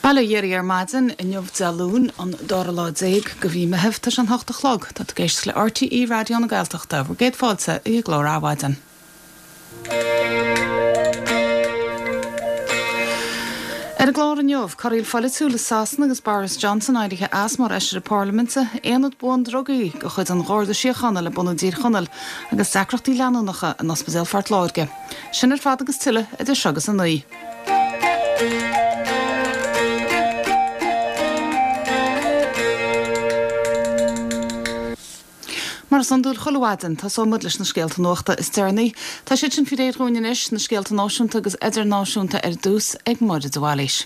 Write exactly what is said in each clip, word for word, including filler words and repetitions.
Bail ó Dhia oraibh ar maidin inniu Dé Luain an dara lá déag de mhí Mheithimh tá sé an hocht a chlog tá tú ag éisteacht le RTÉ Raidió na Gaeltachta bhur gcéad fáilte i gclár Adhmhaidin. Ar an gclár inniu, corraíl pholaitiúil i Sasana agus Boris Johnson éirithe as mar fheisire parlaiminte, aonad buan drugaí de chuid an Gharda Síochána le bunú i dTír Chonaill agus deacrachtaí leanúnacha in Ospidéal Phort Láirge. Sin ar fad agus tuilleadh idir seo agus a naoi. Mar is iondúil chuile mhaidin, tosóidh muid leis na scéalta nuachta is deireanaí. Tá siad sin faoi réir dhúinn anois, na scéalta náisiúnta agus idirnáisiúnta ar dtús ag Máire de Bhailís.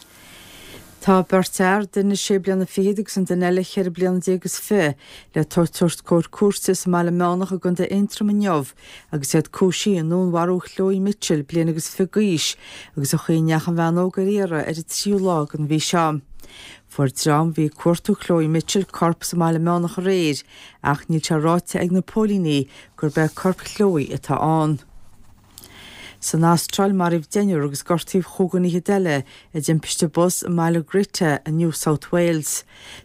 Tá beirt fhear, duine sé bliana fichead agus an duine eile cheithre bliana déag is fiche, le tabhairt os comhair cúirte sa mBaile Meánach i gContae Aontroim inniu agus iad cúisithe i ndúnmharú Chloe Mitchell, bliain agus fiche d'aois, agus an chaoi a ndeachaigh an bhean óg ar iarraidh ar an tríú lá den mhí seo. Fuair dream a bhí ag cuartú Chloe Mitchell corp sa mBaile Meánach aréir ach níl sé ráite ag na póilíní gurb é corp Chloe atá ann. San Astráil maraíodh deichniúr agus gortaíodh chúig fhichead eile i dtimpiste bus i mbaile Greta i New South Wales.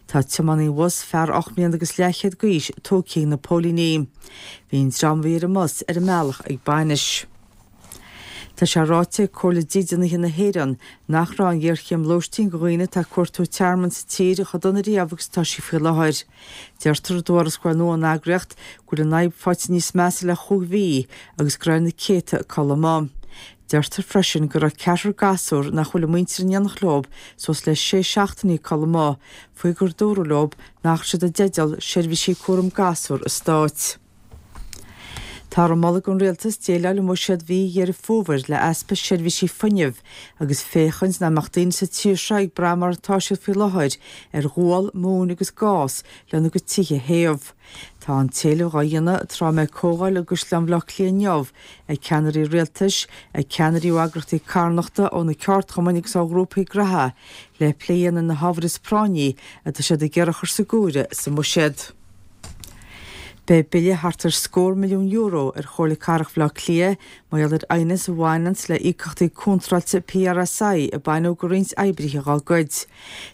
Tá tiománaí an bhus, fear ocht mbliana agus leathchéad d'aois, tógtha ag na póilíní. Bhí an dream a bhí ar an mbus ar a mbealach ag bainis. Tá sé ráite ag Comhairle Dídeanaithe na hÉireann nach raibh an ghéarchéim lóistín do dhaoine atá ag cuartú tearmainn sa tír chomh dona riamh agus atá sí faoi láthair. Deirtear i dtuarascáil nua ón eagraíocht go bhfuil an fhadhb faighte níos measa le chúig mhí agus go raibh na céadta ag codladh amuigh. Deirtear freisin go raibh ceathrar gasúr nach bhfuil a muintir in éineacht leo suas le sé seachtainí ag codladh amuigh faoi gur dúradh leo nach raibh siad i dteideal seirbhísí cúram gasúr an stáit. Táthar ag moladh don rialtas déileáil i mbuiséad mhí Dheireadh Fómhair le easpa seirbhísí fuinnimh agus féachaint nach mbeadh daoine sa tír seo ag brath mar atá siad faoi láthair ar ghual, móin agus gás lena gcuid tithe a théamh. Tá an t-éileamh á dhéanamh tráth a mbeidh comhdháil i gCaisleán Bhaile Átha Cliath inniu ag ceannairí rialtais, ag ceannairí ó eagraíochtaí carthanachta, ó na ceardchumainn agus ó ghrúpaí graithe le plé a dhéanamh ar na hábhair is práinní atá siad ag iarraidh a chur sa gcomhaireamh sa mbuiséad. Beidh bille thart ar scór milliún euro ar Chomhairle Cathrach Bhaile Átha Cliath mar gheall ar aighneas a bhaineanns le íocaíochtaí contráilte PRSI a baineadh de roinnt oibrithe dá gcuid.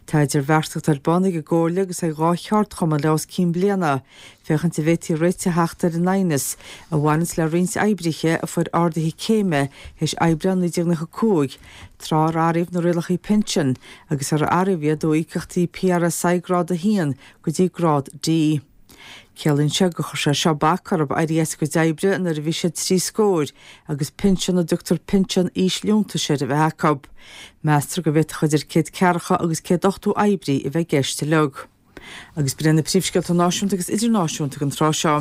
Tá idirbheartaíocht ar bun ag an gComhairle agus ag dhá cheardchumann le os cionn bliana féachaint an bhféadfaí réiteach a theacht ar an aighneas a bhaineanns le roinnt oibrithe a fuair arduithe céime théis Aibreán naoi déag nócha cúig, tráth ar athraíodh na rialacha pinsin agus ar athraíodh iad ó íocaíochtaí PRSI grád a haon go dtí grád D. Ciallaíonn sé gur chuir sé seo bac orthu éirí as a gcuid oibre nuair a bhí siad trí scóir agus pinsean a dtugtar pinsean aoisliúntais air a bheith acu. Meastar go bhféadfadh idir céad ceathracha agus céad ochtó oibrí a bheith i gceist uilig. Agus b'in iad na príomhscéalta náisiúnta agus idirnáisiúnta don tráth seo.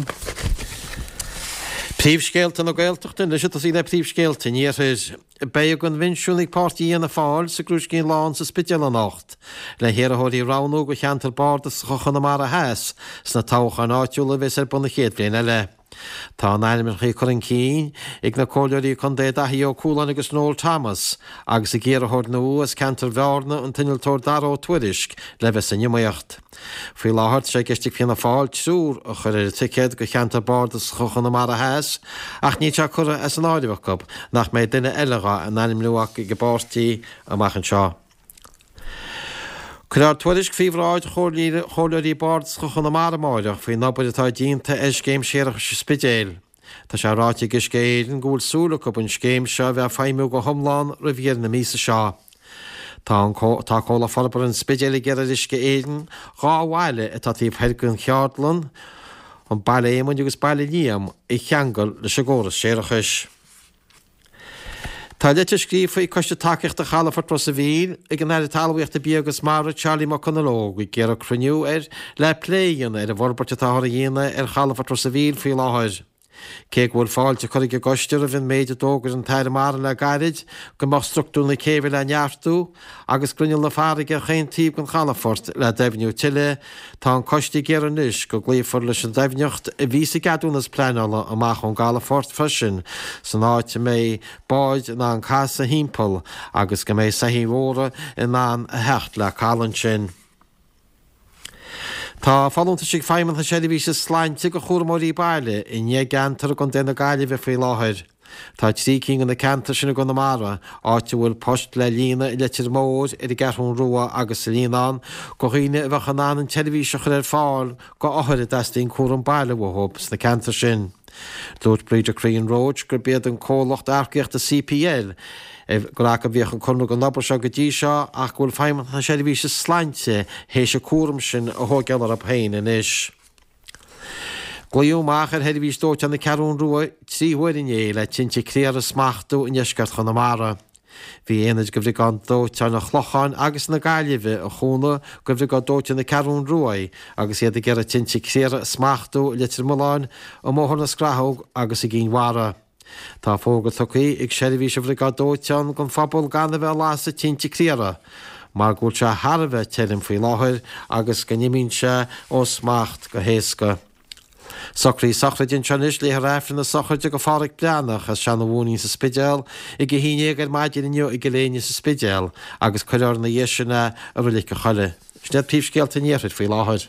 Príomhscéalta na Gaeltachta anois ag tosaí le príomhscéalta an Iarthair. Beidh a gcoinbhinsiún ag Páirtí Fhianna Fáil sa gCrúiscín Lán sa Spidéal anocht, le hiarrthóirí a roghnú do cheantar bardasach Chonamara Theas sna toghcháin áitiúla a bheas ar bun an chéad bhliain eile. Tá a n-ainmneacha curtha chun cinn ag na Comhairleoirí Contae Daithí Ó Cualáin agus Noel Thomas agus ag iarrthóir nua as ceantar Bhearna, an t-innealtóir Dara Ó Tuairisg, le bheith san iomaíocht. Faoi láthair, tá sé i gceist ag Fianna Fáil triúr a chur ar an ticéad do cheantar bardasach Chonamara Theas ach níl sé curtha as an áireamh acu nach mbeidh duine eile dhá n-ainmniú acu ag an bpáirtí amach anseo. Cuirfear tuairisc faoi bhráid Chomhairleoirí Bardasacha Chonamara amáireach faoin obair atá déanta ar scéim séarachais an Spidéil. Tá sé ráite ag Uisce Éireann go bhfuil súil acu an scéim seo a bheith ag feidhmiú go hiomlán roimh dheireadh na míosa seo. Tá an Tá Comhlacht Forbartha an Spidéil ag iarraidh ar Uisce Éireann dhá bhaile atá taobh thoir den cheardlann, an Baile Éamoinn agus Baile Liam, a cheangal leis an gcóras séarachais. Tá litir scríofa ag Coiste Tacaíochta Chalafort Ros a' Mhíl ag an Aire Talmhaíochta, Bia agus Mara, Charlie McConalogue, ag iarraidh cruinniú air le plé a dhéanamh ar an bhforbairt atáthar a dhéanamh ar Chalafort Ros a' Mhíl faoi láthair. Cé go bhfuil fáilte curtha ag an gcoiste roimh an méid a d'fhógair an tAire Mara le gairid go mbeadh struchtúr na céibhe le neartú agus grinneall na farraige ar chaon taobh den chalafort le doimhniú tuilleadh, tá an coiste ag iarraidh anois go gcloífear leis an doimhneacht a bhí sa gceadúnas pleanála amach ón gcalafort freisin san áit a mbeidh báid in ann casadh thimpeall agus go mbeidh soithí mhóra in ann a theacht le caladh ansin. Tá folúntais ag Feidhmeannas na Seirbhíse Sláinte do chúramóirí baile i ndeich gceantar i gContae na Gaillimhe faoi láthair. Tá trí cinn de na ceantair sin i gConamara, áit a bhfuil poist le líonadh i Leitir Móir, ar an gCeathrú Rua agus sa Líonán, do dhaoine a bheadh in ann an tseirbhís a chur ar fáil do othair a dteastaíonn cúram baile uathu sna ceantair sin. Dúirt Breda Crean Roche gurb iad an comhlacht earcaíochta CPL gur acu a bhíodh an conradh don obair seo go dtí seo ach go bhfuil Feidhmeannacht na Seirbhíse Sláinte théis an cúram sin a thógáil orthu féin anois. Glaodh amach ar sheirbhís dóiteáin na Ceathrún Rua trí huaire inné le tinte criathair a smachtú i ndeisceart Chonamara. Bhí aonaid de Bhriogáid Dóiteáin an Chlocháin agus na Gaillimhe a chúnamh do Bhriogáid Dóiteáin na Ceathrún Rua agus iad ag iarraidh tinte criathair a smachtú i Leitir Mealláin, i mBóthar na Scrathóg agus i gCinn Mhara. Tá fógra tugtha ag seirbhís an Bhriogáid Dóiteáin don phobal gan a bheith ag lasadh tinte criathair mar go bhfuil sé thar a bheith tirim faoi láthair agus go n-imíonn sé ó smacht go héasca. Socruithe sochraide anseo anois, léifear Aifreann na sochraide do Phádhraic Breathnach as Seanadh Mhóinín sa Spidéal ag a haon déag ar maidin inniu i gCill Éinne sa Spidéal agus cuirfear ina dhiaidh sin é i Reilig an Choilligh. Sin iad príomhscéalta an Iarthair faoi láthair.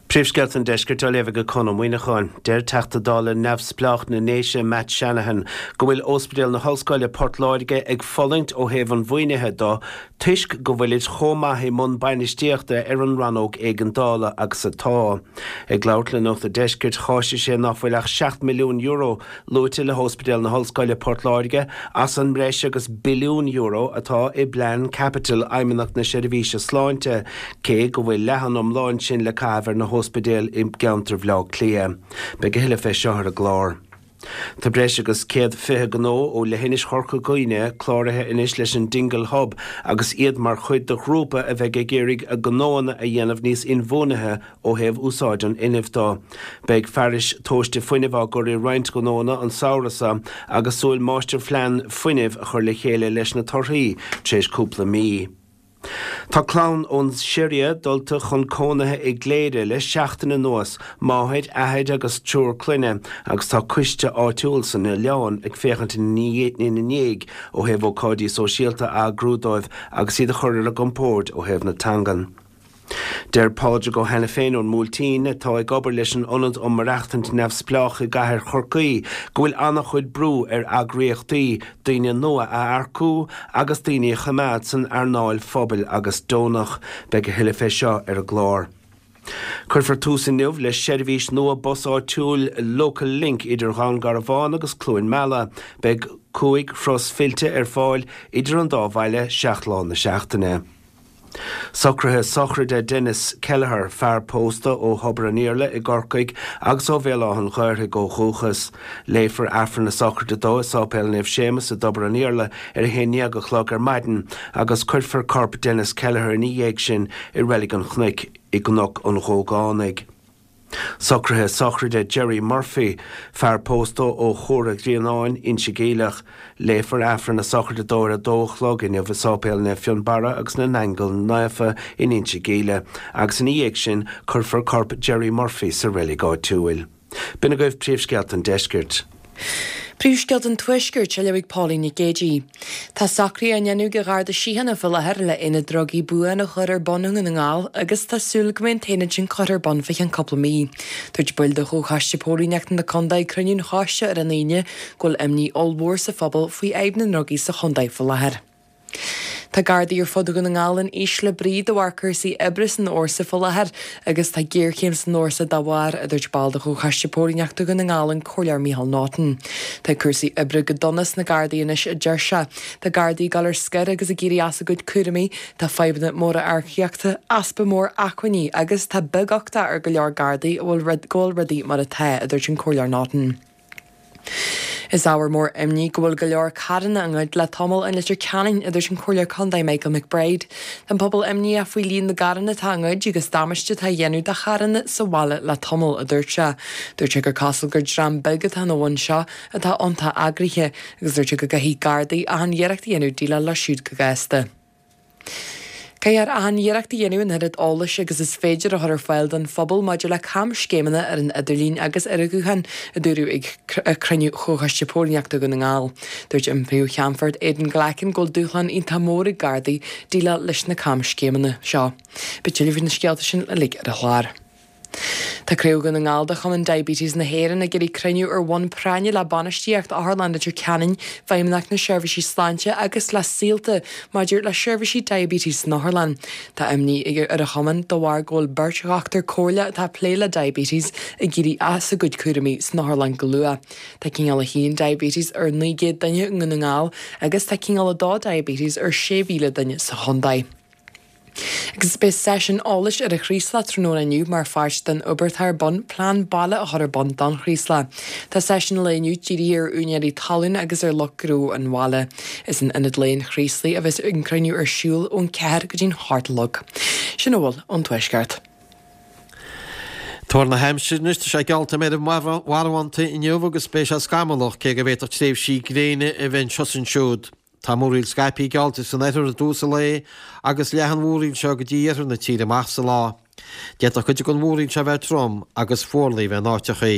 Príomhscéalta an Deiscirt á léamh ag Conn Ó Muíneacháin. Deir Teachta Dála neamhspleách na nDéise Matt Shanahan go bhfuil Ospidéal na hOllscoile Port Láirge ag fulaingt ó thaobh an mhaoinithe do toisc go bhfuilid chomh maith i mbun bainistíochta ar an rannóg éigeandála agus atá. Ag labhairt le Nuacht an Deiscirt, cháisigh sé nach bhfuil ach seacht milliún euro luaite le hOspidéal na hOllscoile Port Láirge as an mbreis agus billiún euro atá i bplean caipitil Fheidhmeannacht na Seirbhíse Sláinte, cé go bhfuil leath an iomláin sin le caitheamh ar na hóspidéil i gceantar Bhaile Átha Cliath. Beidh a thuilleadh fé seo ar an gclár. Tá breis agus céad fiche gnó ó leithinis Chorca Dhuibhne cláraithe anois leis an Dingle Hub agus iad mar chuid de ghrúpa a bheidh ag iarraidh a ngnóanna a dhéanamh níos inbhuanaithe ó thaobh úsáid an fhuinnimh de. Beidh fearais tomhaiste fuinnimh á gcur i roinnt gnóanna an samhradh seo agus súil máistirphlean fuinnimh a chur le chéile leis na torthaí tar éis cúpla mí. Tá clann ón Siria dulta chun cónaithe i gCléire le seachtain anuas, máthair, athair agus triúr clainne, agus tá coiste áitiúil san oileán ag féachaint ina ndiaidh ó thaobh ócáidí sóisialta a eagrú dóibh agus iad a chur ar a gcompord ó thaobh na teangan. Deir Pádraig Ó hAiniféin ón mBuailtín, atá ag obair leis an Ionad um Maireachtaint Neamhspleách i gcathair Chorcaí, go bhfuil an-chuid brú ar eagraíochtaí daoine nua a earcú agus daoine a choimeád san earnáil phobail agus deonach. Beidh a thuilleadh fé seo ar an gclár. Cuirfear tús inniu le seirbhís nua bus áitiúil Local Link idir Dhún Garbhán agus Cluain Meala. Beidh cúig thuras fillte ar fáil idir an dá bhaile seacht lá na seachtaine. Socruithe sochraide Denis Kelleher, fear pósta ó Thobar an Iarla i gCorcaigh agus ó Bhéal Átha an Ghaorthaidh ó dhúchas. Léifear Aifreann na sochraide dó i Sáipéal Naomh Séamus i dTobar an Iarla ar a haon déag a chlog ar maidin agus cuirfear corp Denis Kelleher ina dhiaidh sin i Reilig an Chnoic i gCnoc an Ghógánaigh. Socruithe sochraide Jerry Murphy, fear pósta ó Chora Ghrianáin, Inse Geimhleach. Léifear Aifreann na sochraide dó ar a dó a chlog inniu i Sáipéal Naomh Fionnbarra agus na nAingeal Naofa in Inse Geimhleach agus ina dhiaidh sin cuirfear corp Jerry Murphy sa reilig áitiúil. B'in agaibh príomhscéalta an deiscirt. Príomhscéalta an Tuaiscirt á léamh ag Pauline Nic Géidigh. Tá socruithe á ndéanamh ag an Gharda Síochána faoi láthair le aonad drugaí buan a chur ar bun i nDún na nGall agus tá súil go mbeidh an t-aonad sin curtha ar bun fé cheann cúpla mí. Dúirt baill de Chomhchoiste Póilíneachta na Condae ag cruinniú an choiste ar an Aoine go bhfuil imní ollmhór sa phobal faoi fhadhb na ndrugaí sa chondae faoi láthair. Tá Gardaí ar fud Dhún na nGall in ísle brí de bharr cúrsaí oibre san fhórsa faoi láthair agus tá géarchéim san fhórsa dá bharr, a dúirt ball de Chomhchoiste Póilíneachta Dhún na nGall, an Comhairleoir Micheál Naughton. Tá cúrsaí oibre go dona sna Gardaí anois, a deir sé. Tá Gardaí ag dul ar scor agus ag éirí as a gcuid cúraimí, tá fadhbanna móra earcaíochta, easpa mór acmhainní agus tá beaguchtach ar go leor Gardaí go bhfuil rudaí mar atá, a dúirt an Comhairleoir Naughton. Is ábhar mór imní go bhfuil go leor carranna á ngoid le tamall i Leitir Ceanainn, a dúirt an Comhairleoir Contae Michael McBride. Tá an pobal imníoch faoi líon na gcarranna atá á ngoid agus damáiste atá á dhéanamh do charranna sa bhaile le tamall, a dúirt sé. Dúirt sé gur cosúil gur dream beag atá ina bhun seo atá iontach eagraithe agus dúirt sé go gcaithfidh Gardaí achan iarracht a dhéanamh déileáil leo siúd go gasta. Caithfear achan iarracht a dhéanamh an oiread eolais agus is féidir a chur ar fáil don phobal maidir le camscéimeanna ar an idirlíon agus ar an ghuthán, a dúradh ag cruinniú Chomhchoiste Póilíneachta Dhún na nGall. Dúirt an Príomh-Cheannfort Aidan Glackin go bhfuil dúshlán iontach mór ag Gardaí déileáil leis na camscéimeanna seo. Beidh tuilleadh faoi na scéalta sin uilig ar an chlár. Tá Craobh Dhún na nGall de Chumann Diabetes na hÉireann ag iarraidh cruinniú ar bhonn práinne le bainistíocht Otharlann Leitir Ceanainn, Feidhmeannacht na Seirbhísí Sláinte agus le Saolta maidir le seirbhísí diabetes san otharlann. Tá imní ar an chumann de bharr go bhfuil beirt dhochtúir comhairle atá ag plé le diabetes ag éirí as a gcuid cúraimí san otharlann go luath. Tá cineál a haon diabetes ar naoi gcéad duine i nDún na nGall agus tá cineál a dó diabetes ar sé mhíle duine sa chontae. Agus beidh seisiún eolais ar an Chraoslach tráthnóna inniu mar pháirt den obair atá ar bun plean baile a chur ar bun don Chraoslach. Tá seisiún an lae inniu dírithe ar úinéirí talún agus ar lucht gnó an bhaile. Is in Ionad Lae an Chraoslaigh a bheas an cruinniú ar siúl ón ceathair go dtí'n hocht a chlog. Sin a bhfuil ón Tuaisceart. Tuar na haimsire anois, tá sé geallta go mbeidh marbhánta inniu agus beidh sé scamallach cé go bhféadfadh tréimhsí gréine a bheith anseo is ansiúd. Tá múraíl scaipthe geallta san oirthear i dtús an lae agus leathfaidh an mhúraíl seo go dtí iarthar na tíre amach sa lá. D'fhéadfadh cuid den mhúraíl seo bheith trom agus fuarlaigh bheith in áiteachaí.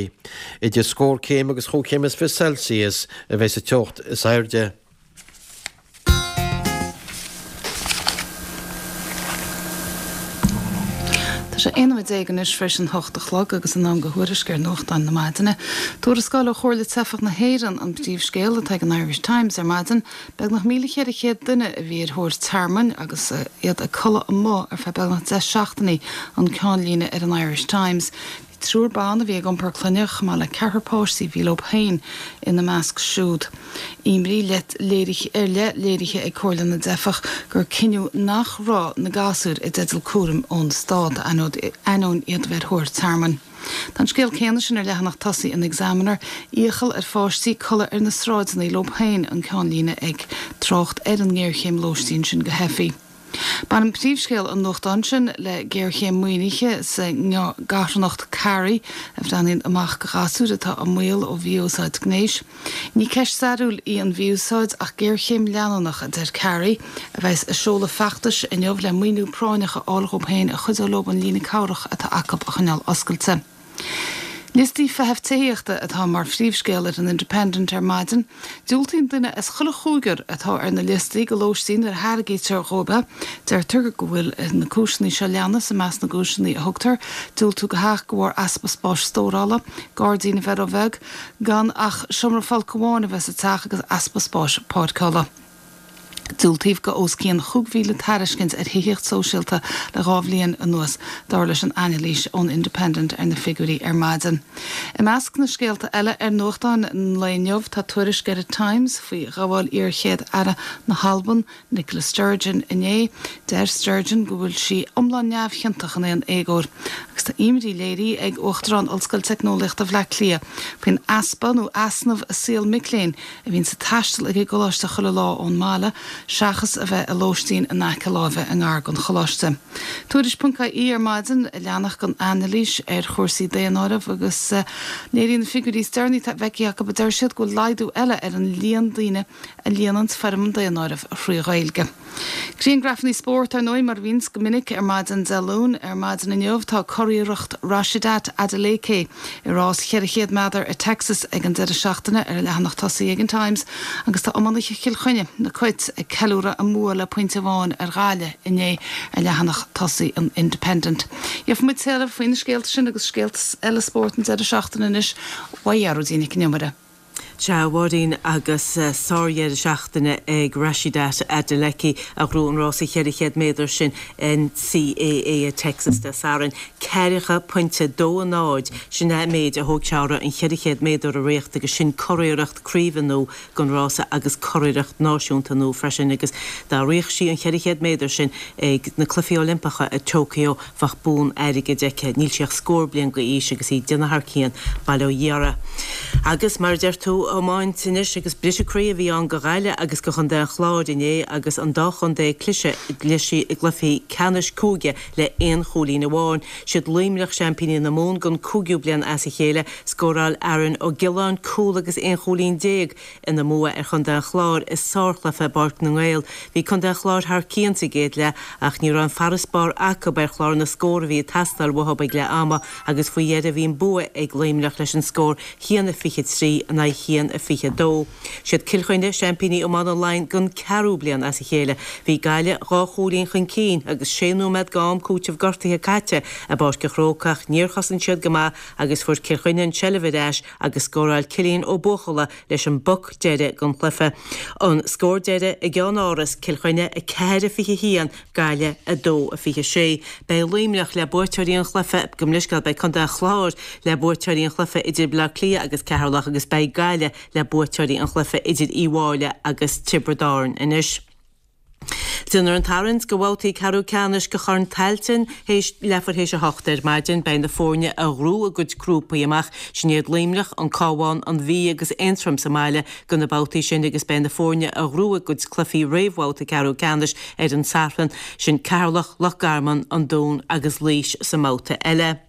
Idir scór céim agus chúig chéim is fiche Celsius a bheidh sa teocht is airde. Tá sé aon nóiméad déag anois tar éis an hocht a chlog agus in am do thuairisc ar nuachtáin na maidine. Tuarascáil ó Chomhairle Teifeach na hÉireann an príomhscéal atá ag an Irish Times ar maidin, beagnach míle cheithre chéad duine a bhí ar thóir tearmainn agus iad ag codladh amuigh ar feadh beagnach deich seachtainí an ceannlíne ar an Irish Times. Bhí triúr ban a bhí ag iompar clainne chomh maith le ceathrar páistí a bhí leo féin ina measc siúd. Imní léirithe ar leith léirithe ag Comhairle na dTeifeach gur cinneadh nach raibh na gasúir i dteideal cúraim ón stát ainneoin iad a bheith ar thóir tearmainn. Tá an scéal céanna sin ar leathanach tosaigh an Examiner, iachall ar pháistí codladh ar na sráideanna leo féin an ceannlíne ag trácht ar an ngéarchéim lóistín sin do theifigh. Baineann príomhscéal an nuachtáin sin le géarchéim maoinithe sa gcarthanacht Carey a bhreathnaíonn amach do ghasúir atá i mbaol ó mhí-úsáid gnéis. Ní ceist stairiúil í an mhí-úsáid ach géarchéim leanúnach, a deir Carey, a bheas ag seoladh feachtais inniu le maoiniú práinneach a fháil dhóibh féin a chuideodh leo an líne cabhrach atá acu a choinneáil oscailte. Liostaí feithimh tithíochta atá mar phríomhscéal ar an Independent ar maidin. Diúltaíonn duine as chuile chúigear atá ar na liostaí do lóistín nuair a thairgítear dhóibh é. Deirtear go bhfuil na cúiseanna seo leanas i measc na gcúiseanna a thugtar, diúltú do theach de bharr easpa spáis stórála, gairdín a bheith róbheag, gan ach seomra folctha amháin a bheith sa teach agus easpa spáis páirceála. Diúltaíodh do os cionn chúig mhíle tairiscint ar thithíocht sóisialta le dhá bhliain anuas, dar leis an anailís ón Independent ar na figiúirí ar maidin. I measc na scéalta eile ar nuachtáin an lae inniu tá tuairisc ar an Times faoi ghabháil iar-chéad-aire na hAlban, Nicola Sturgeon, inné. Deir Sturgeon go bhfuil sí iomlán neamhchiontach in aon éagóir agus tá imní léirithe ag Uachtarán Ollscoil Teicneolaíochta Bhaile Átha Cliath faoin easpa nó easnamh i saol mic léinn a bhíonn ag taisteal ag an gcoláiste chuile lá ón mbaile seachas a bheith i lóistín in aice láimhe i ngar don choláiste. Tuairisc ponc ie ar maidin a leanach don anailís ar chúrsaí daonáirimh agus léiríonn na figiúirí is deireanaí atá feicthe acu a deir siad go bhfuil laghdú eile ar an líon daoine a líonann foirm an daonáirimh thrí Ghaeilge. Grianghrafanna spóirt ar ndóigh mar a bhíonns go minic ar maidin Dé Luain. Ar maidin inniu tá curiarracht Rhasidat Adeleke i rás cheithre chéad méadar i Texas ag an deireadh seachtaine ar an leathanach tosaigh ag an Times agus tá iománaithe Chill Chainnigh, na Cait, ag ceiliúradh a mbua le pointe amháin ar Ghaillimh inné ar leathanach tosaigh an Independent. Gheobhaidh muid tuilleadh faoi na scéalta sin agus scéalta eile spóirt an deireadh seachtaine anois uaidh Ghearóidín Nic an Iomaire. Sea, a Mháirín, agus sárdheireadh seachtaine ag Rhasidat Adeleke a ghnóthaigh an rása cheithre chéad méadar sin NCAA i Texas Dé Sathairn. Ceathracha pointe dó a náid, sin é an méid a thóg sé uirthi an cheithre chéad méadar a ritheacht agus sin curiarracht craoibhe nua don rása agus curiarracht náisiúnta nua freisin agus dá rithfeadh sí an cheithre chéad méadar sin ag na Cluichí Oilimpeacha i Tokyo bheadh bonn airgid aici. Níl sí ach scór bliain d'aois agus í ag déanamh thar cionn, bail ó Dhia uirthi. Agus mar a deir tú, iomáint anois agus briseadh croí a bhí ann do Ghaillimh agus do Chontae an Chláir inné agus an dá chontae ag cliseadh i gcluichí ceannais cúige le aon chúilín amháin. Siad Luimneach seaimpíní na Mumhan don cúigiú bliain as a chéile. Scóráil Aaron Ó Giolláin cúl agus aon chúilín déag ina mbua ar Chontae an Chláir i sárchluiche i bPáirc na nGael. Bhí Contae an Chláir thar cionn sa gcéad leath ach ní raibh an farasbarr acu ar chlár na scór a bhí ag teastáil uathu ag leath ama agus faoi dheireadh bhí an bua ag Luimneach leis an scór a haon a fiche trí in aghaidh a haon haon a fiche a dó. Siad Cill Chainnigh seaimpíní iomána Laighean don ceathrú bliain as a chéile. Bhí Gaillimh dhá chúilín chun cinn agus sé nóiméad d'am cúitimh gortaithe caite i bPáirc an Chrócaigh ach níor chosain siad go maith agus fuair Cill Chainnigh an tseilbh ar ais agus scóráil Cillian Ó Buachalla leis an bpoc deiridh den chluiche. An scór deiridh i gCeannáras, Cill Chainnigh a ceathair a fiche a haon, Gaillimh a dó a fiche a sé. Beidh Luimneach le buaiteoirí an chluiche, gabh mo leithscéal, beidh Contae an Chláir le buaiteoirí an chluiche idir Baile Átha Cliath agus Ceatharlach agus beidh Gaillimh le buaiteoirí an chluiche idir Uíbh Fhailí agus Tiobraid Árann anois. Déanfar an tarraingt do bhabhtaí ceathrú ceannais do Chorn Tailteann théis leathuair théis a hocht ar maidin. Beidh na foirne a ghnóthaigh a gcuid grúpaí amach, sin iad Luimneach, an Cabhán, an Mhí agus Aontroim sa mbaile do na babhtaí sin agus beidh na foirne a ghnóthaigh a gcuid cluichí réamhbhabhta ceathrú ceannais ar an Satharn, sin Ceatharlach, Loch Garman, an Dún agus Laois sa mbabhta eile.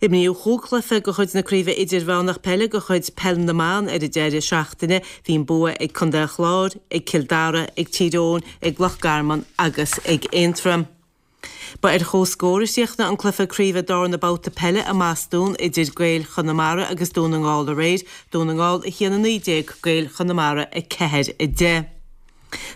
Imríodh chúig chluiche de chuid na Craoibhe Idirmheánach Peile de chuid Peil na mBan ar an deireadh seachtaine. Bhí an bua ag Contae an Chláir, ag Cill Dara, ag Tír Eoghain, ag Loch Garman agus ag Aontroim. Ba ar chomhscór a chríochnaigh an cluiche craoibhe darna babhta peile i mBostún idir Gaeil Chonamara agus Dún na nGall aréir, Dún na nGall a haon a naoi déag, Gaeil Chonamara a ceathair a deich.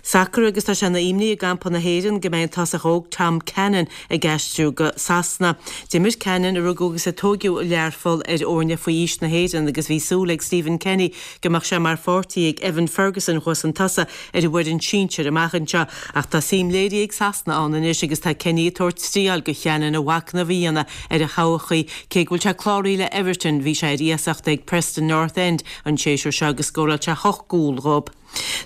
Sacar agus tá sé ina imní i gcampa na hÉireann go mbeidh an tosach óg Tom Cannon ag aistriú go Sasana. D'imir Cannon, a rugadh agus a tóigeadh i Learpholl, ar fhoirne faoi aois na hÉireann agus bhí súil ag Stephen Kenny go mbeadh sé mar pháirtí ag Evan Ferguson thuas chun tosaigh ar an bhfoireann sinsir amach anseo. Ach tá suim léirithe ag Sasana ann anois agus tá Kenny ag tabhairt triail do Channon a mhachnamh a dhéanamh ar a thodhchaí. Cé go bhfuil sé cláraithe le Everton bhí sé ar iasacht ag Preston North End an séasúr seo agus scóráil sé hocht gcúl dhóibh.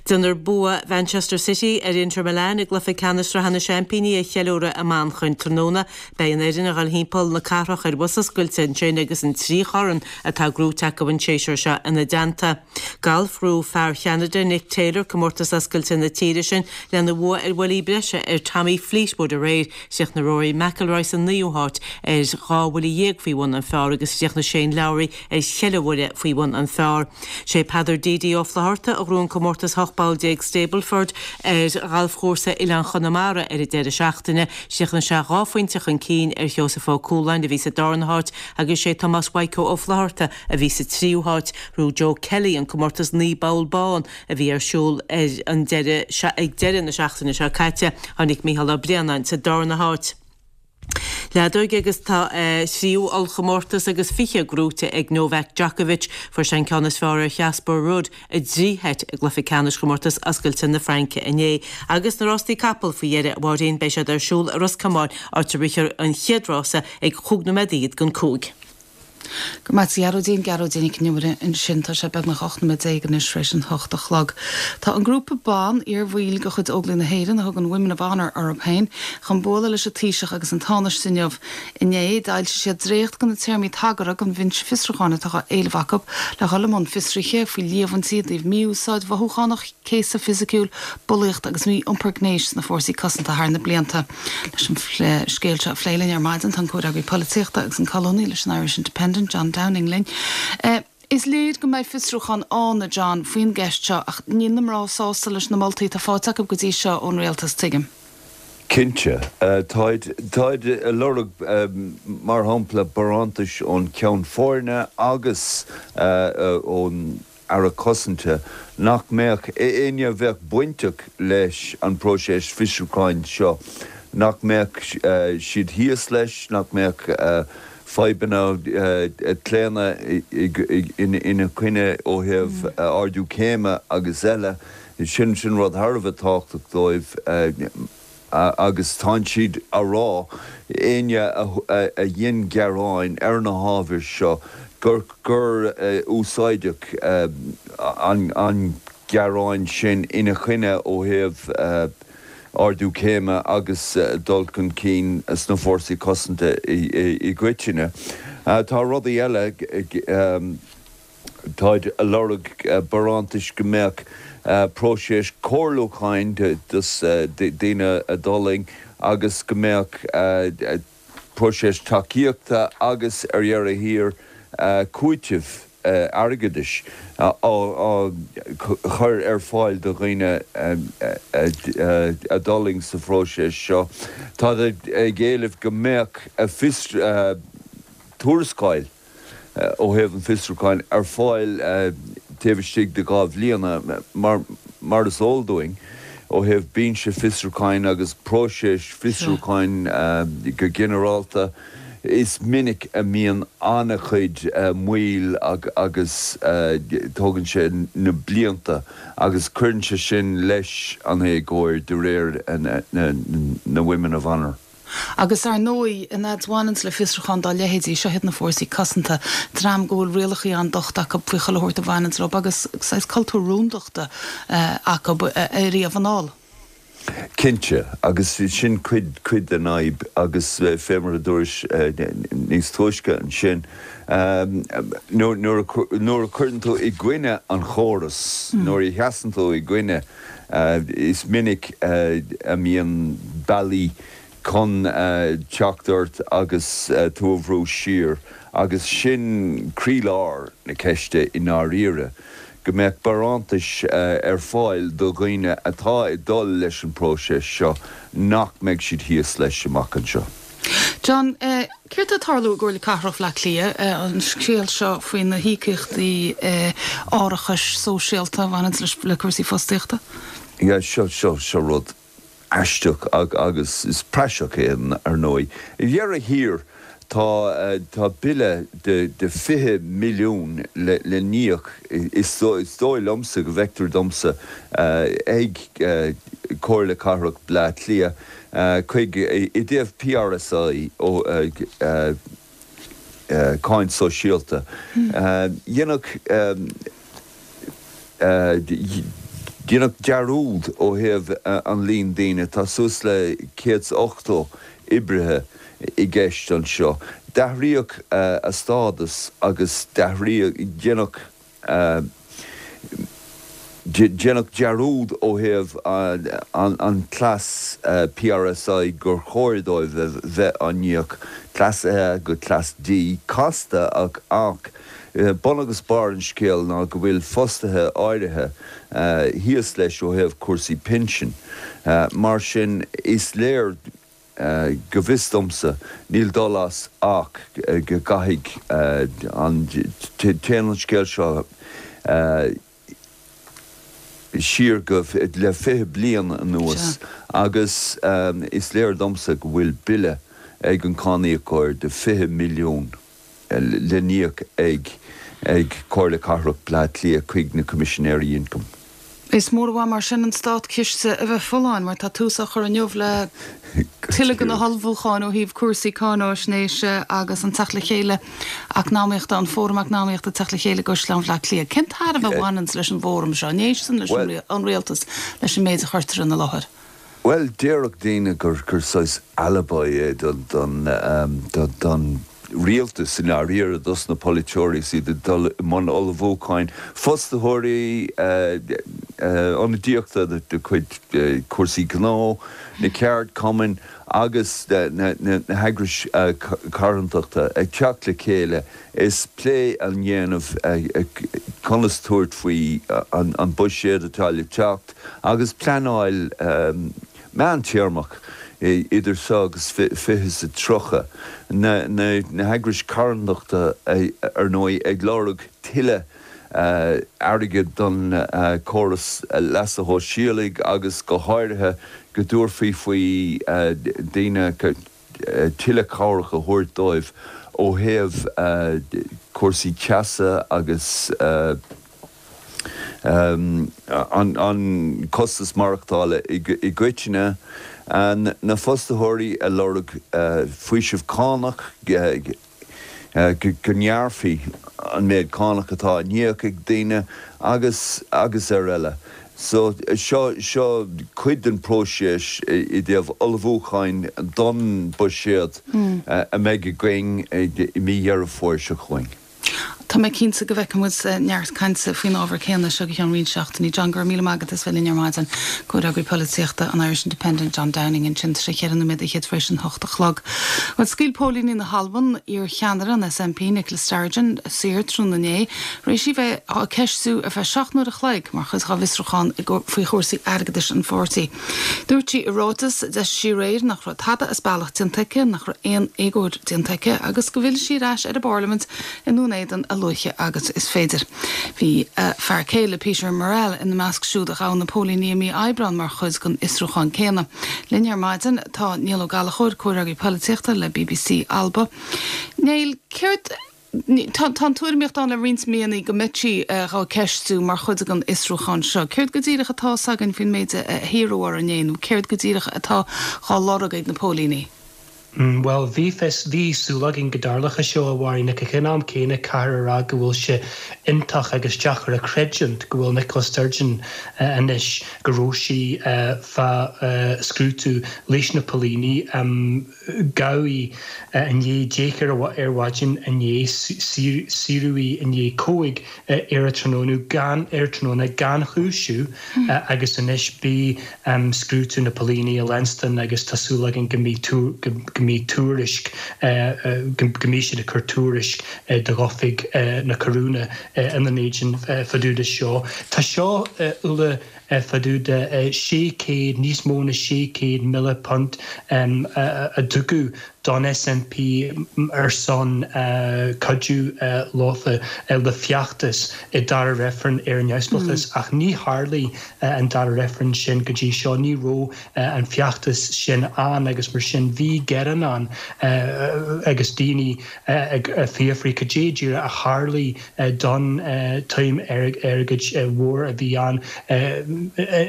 Déanfar bua Mhanchester City ar Inter Milan i gcluiche ceannais Sraithe na Seaimpíní a cheiliúradh i Manchain tráthnóna. Beidh an fhoireann ag dul thimpeall na cathrach ar bhus oscailte ansin agus an trí chorn atá gnóite acu an séasúr seo ina dteannta. Galf, Ghnóthaigh fear Cheanada Nick Taylor comórtas oscailte na tíre sin lena bhua ar bhuillí breise ar Tommy Fleetwood aréir. Chríochnaigh Rory McIlroy sa naoú háit ar dhá bhuille dhéag faoi bhun an phar agus chríochnaigh Shane Lowry ar cheithre bhuille faoi bhun an phar. Sé Peadar DD Ó Flatharta a ghnóthaigh an comórtas ocht bpoll déag Stableford ar ghalfchúrsa Oileán Chonamara ar an deireadh seachtaine. Chríochnaigh sé dhá phointe chun cinn ar Sheosamh Ó Cualáin a bhí sa darna háit agus sé Tomás Mhaidhc Ó Flatharta a bhí sa tríú háit. Ghnóthaigh Joe Kelly an comórtas naoi bpoll bán a bhí ar siúl ar an deireadh ag deireadh na seachtaine seo caite. Tháinig Mícheál Ó Braonáin sa darna háit. Leadóg agus tá a thríú ollchomórtas agus fiche gnóite ag Novak Djokovic. Fuair sé an ceann is fearr ar Chasper Ruud i dtrí sheit i gcluiche ceannais chomórtas oscailte na Fraince inné. Agus na rástaí capall faoi dheireadh, a Mháirín, beidh siad ar siúl i Ros Comáin, áit a rithfear an chéad rása ag chúig nóiméad fhichead don cúig. Go raibh maith agat a Ghearóidín, Gearóidín Nic an Iomaire ansin. Tá sé beagnach ocht nóiméad déag anois tar éis an hocht a chlog. Tá an grúpa ban, iarbhaill de chuid Óglaigh na hÉireann a thugann Women of Honour orthu féin, chun bualadh leis an Taoiseach agus an Tánaiste inniu. Inné, d'fhoilsigh siad dréacht de na téarmaí tagartha don bhinse fiosrúcháin atá á éileamh acu le dhul i mbun fiosruithe faoi líomhaintí i dtaobh mí-úsáid mhothúchánach, céasadh fisiciúil, bulaíocht agus mí-iompar gnéis sna fórsaí cosanta thar na blianta. Leis an scéal seo a phlé linn ar maidin tá an comhfhreagraí polaitíochta agus an colúnaí leis an Irish Independent, John Downing linn. Is léir go mbeidh fiosrúchán ann, a John, faoin gceist seo ach níl na mná sásta leis na moltaí atá faighte acu go dtí seo ón rialtas, tuigim. Cinnte. Táid, táid ag lorg, mar shampla, barántais ón Cheann Foirne agus ón Aire Cosanta nach mbeadh éinne a bheadh bainteach leis an bpróiseas fiosrúcháin seo, nach mbeadh siad thíos leis, nach mbeadh fadhbanna claonadh ina coinne ó thaobh ardú céime agus eile. Sin sin rud thar a bheith tábhachtach dóibh agus tánn siad a rá, éinne a dhein gearáin ar na hábhair seo, gur gur úsáideadh an gearán sin ina choinne ó thaobh ardú céime agus dul chun cinn sna fórsaí cosanta i gcoitinne. Tá rudaí eile, táid a lorg barántais go mbeadh próiseas comhairliúcháin dos daoine a d'fhulaing agus go mbeadh próiseas tacaíochta agus ar dheireadh thiar cúiteamh airgeadais á chur ar fáil do dhaoine a d'fhulaing sa phróiseas seo. Táid ag éileamh go mbeadh tuarascáil ó thaobh an fiosrúcháin ar fáil taobh istigh de dhá bhliana, mar mar is eol dúinn ó thaobh binse fiosrúcháin agus próiseas fiosrúcháin go ginearálta, is minic a mbíonn an-chuid moill agus tógann sé na blianta agus cuireann sé sin leis an éagóir de réir na Women of Honour. Agus ar ndóigh, an fhad a bhaineanns le fiosrúchán dá leithéidí, seo iad na fórsaí cosanta, dream go bhfuil rialacha an-docht acu faoi chuile shórt a bhaineanns leo agus saghas cultúr rúndachta acu ariamh anall. Cinnte, agus sin cuid cuid den fhadhb agus fé mar a dúrais níos túisce ansin, nuair nuair a chuireann tú i gcoinne an chóras, nuair a sheasann tú i gcoinne, is minic a mbíonn bealaí chun teacht ort agus tú a bhrú siar agus sin croílár na ceiste i ndáiríre, go mbeadh barántais ar fáil do dhaoine atá ag dul leis an bpróiseas seo nach mbeidh siad thíos leis amach anseo. John, céard atá ag tarlú i gComhairle Cathrach Bhaile Átha Cliath, an scéal seo faoi na híocaíochtaí árachais sóisialta a bhaineanns le cúrsaí fostaíochta? Yeah, seo, seo, seo rud aisteach agus is praiseach é ar ndóigh. Ar dheireadh thiar tá tá bille de de fiche milliún le le n-íoc, is is dóigh liomsa go bhfeictear domsa ag Comhairle Cathrach Bleá Cliath chuig i dtaobh P R S I ó cáin sóisialta. Dhéanfadh Deineadh dearúd ó thaobh an líon daoine, tá suas le céad is ochtó oibrithe i gceist anseo. D'athraíodh a stádas agus d'athraíodh, deineadh, deineadh dearúd ó thaobh an cleas P R S I gur chóir dóibh a bheith á n-íoc, Cleas A go Cleas D, casta ach ach bun agus barr an scéil ná go bhfuil fostaithe áirithe thíos leis ó thaobh cúrsaí pinsin. Mar sin, is léir, go bhfios domsa, níl dul as ach go gcaithfidh an, téann an scéal seo siar go le fiche bliain anuas agus is léir domsa go bhfuil bille ag an cáiníocóir de fiche milliún le n-íoc ag ag Comhairle Cathrach Bleá Cliath chuig na Coimisinéirí Ioncaim. Is mór an mhaith mar sin an státchiste a bheith folláin mar tá tús á chur inniu le tuilleadh de na hullmhúcháin ó thaobh cúrsaí cáináisnéise agus an teacht le chéile eacnamaíochta, an Fóram Eacnamaíochta ag teacht le chéile i gCaisleán Bhaile Átha Cliath. Cén tairbhe a bhaineanns leis an bhfóram seo? An éisteann leis an rialtas leis an méid a chuirtear ina láthair? Bhuel, déarfadh daoine gur gur saghas alibi é don don don rialtas i ndáiríre, dos na polaiteoirí is iad ag dul i mbun ullmhúcháin, fostaitheoirí, ionadaíochta de chuid cúrsaí gnó, na ceardchumainn agus na heagrais carthanachta ag teacht le chéile is plé á dhéanamh conas tabhairt faoi an buiséad atá le teacht agus pleanáil meántéarmach idir seo agus fiche is a tríocha. Na heagrais carthanachta ar ndóigh ag lorg tuilleadh airgid don chóras leasa shóisialaigh agus go háirithe go dtabharfaí faoi daoine tuilleadh cabhrach a thabhairt dóibh ó thaobh cúrsaí teasa agus an costas maireachtála i gcoitinne. Na fostaitheoirí ag lorg faoiseamh cánach, go ngearrfaí an méid cánach atá á n-íoc ag daoine agus agus ar eile. So seo seo cuid den próiseas i dtaobh ullmhúcháin don buiséad a mbeidh againn i mí Dheireadh Fómhair seo chugainn. Tá mé cinnte go bhfeicfidh muid neart cainte faoin ábhar céanna seo go ceann roinnt seachtainí. John, go raibh míle maith agat as bheith linn ar maidin. Comhfhreagraí Polaitíochta an Irish Independent, John Downing ansin, tá sé cheithre nóiméad fhichead tar éis an hocht a chlog. Bhuel, scaoil póilíní na hAlban iar-cheannaire an S N P, Nicola Sturgeon, saor tráthnóna inné, tar éis í bheith á ceistiú ar feadh seacht n-uair a chloig mar chuid dá bhfiosrúchán faoi chúrsaí airgeadais an pháirtí. Dúirt sí i ráiteas a d'eisigh sí aréir nach raibh tada as bealach déanta aici, nach raibh aon éagóir déanta aici agus go bhfillfidh sí ar ais ar an bParlaimint i nDún Éideann a luaithe agus is féidir. Bhí uh, fear céile Peter Murrell ina measc siúd a ghabh na póilíní i mí Aibreáin mar chuid den fhiosrúchán céanna. Linn ar maidin tá Niall Ó Gallchóir comhfhreagraí polaitíochta le BBC Alba. Niall céard Tá tuairimíocht ann le roinnt míonna go mbeadh sí á ceistiú mar chuid den fhiosrúchán seo. Céard go díreach atá againn faoin méid a hiarradh ar inné nó céard go díreach atá á lorg ag na póilíní. Mm, well bhí fios bhí súil againn go dtarlódh seo a Mháirín ach ag an am céanna caithfear a rá go bhfuil sé iontach agus deacair a chreidiúint go bhfuil Nicola Sturgeon uh, anois go raibh sí uh, fá uh, scrúdú leis na póilíní um, gabhadh í uh, i ndiaidh deich ar ar maidin inné saoradh í i ndiaidh cúig uh, ar an tráthnóna gan ar tráthnóna gan chúisiú mm. uh, agus anois bí um, scrúdú na póilíní a leanstan agus tá súil againn go mbeidh go mbeidh tuairisc go mbeidh siad ag cur tuairisc d'oifig na Coróine ina n-éadan fá dtaobh de seo. Tá seo uile fá dtaobh de sé céad níos mó ná sé céad míle punt a tugadh don SNP ar son cuidiú leofa le feachtas i dara reifreann ar an neamhspleáchas mm. ach ní tharlaigh an dara reifreann sin go dtí seo ní raibh an feachtas sin ann agus mar sin bhí gearán ann agus daoine ag fiafraí cad é díreach a tharlaigh don tsuim airgid mhór a bhí ann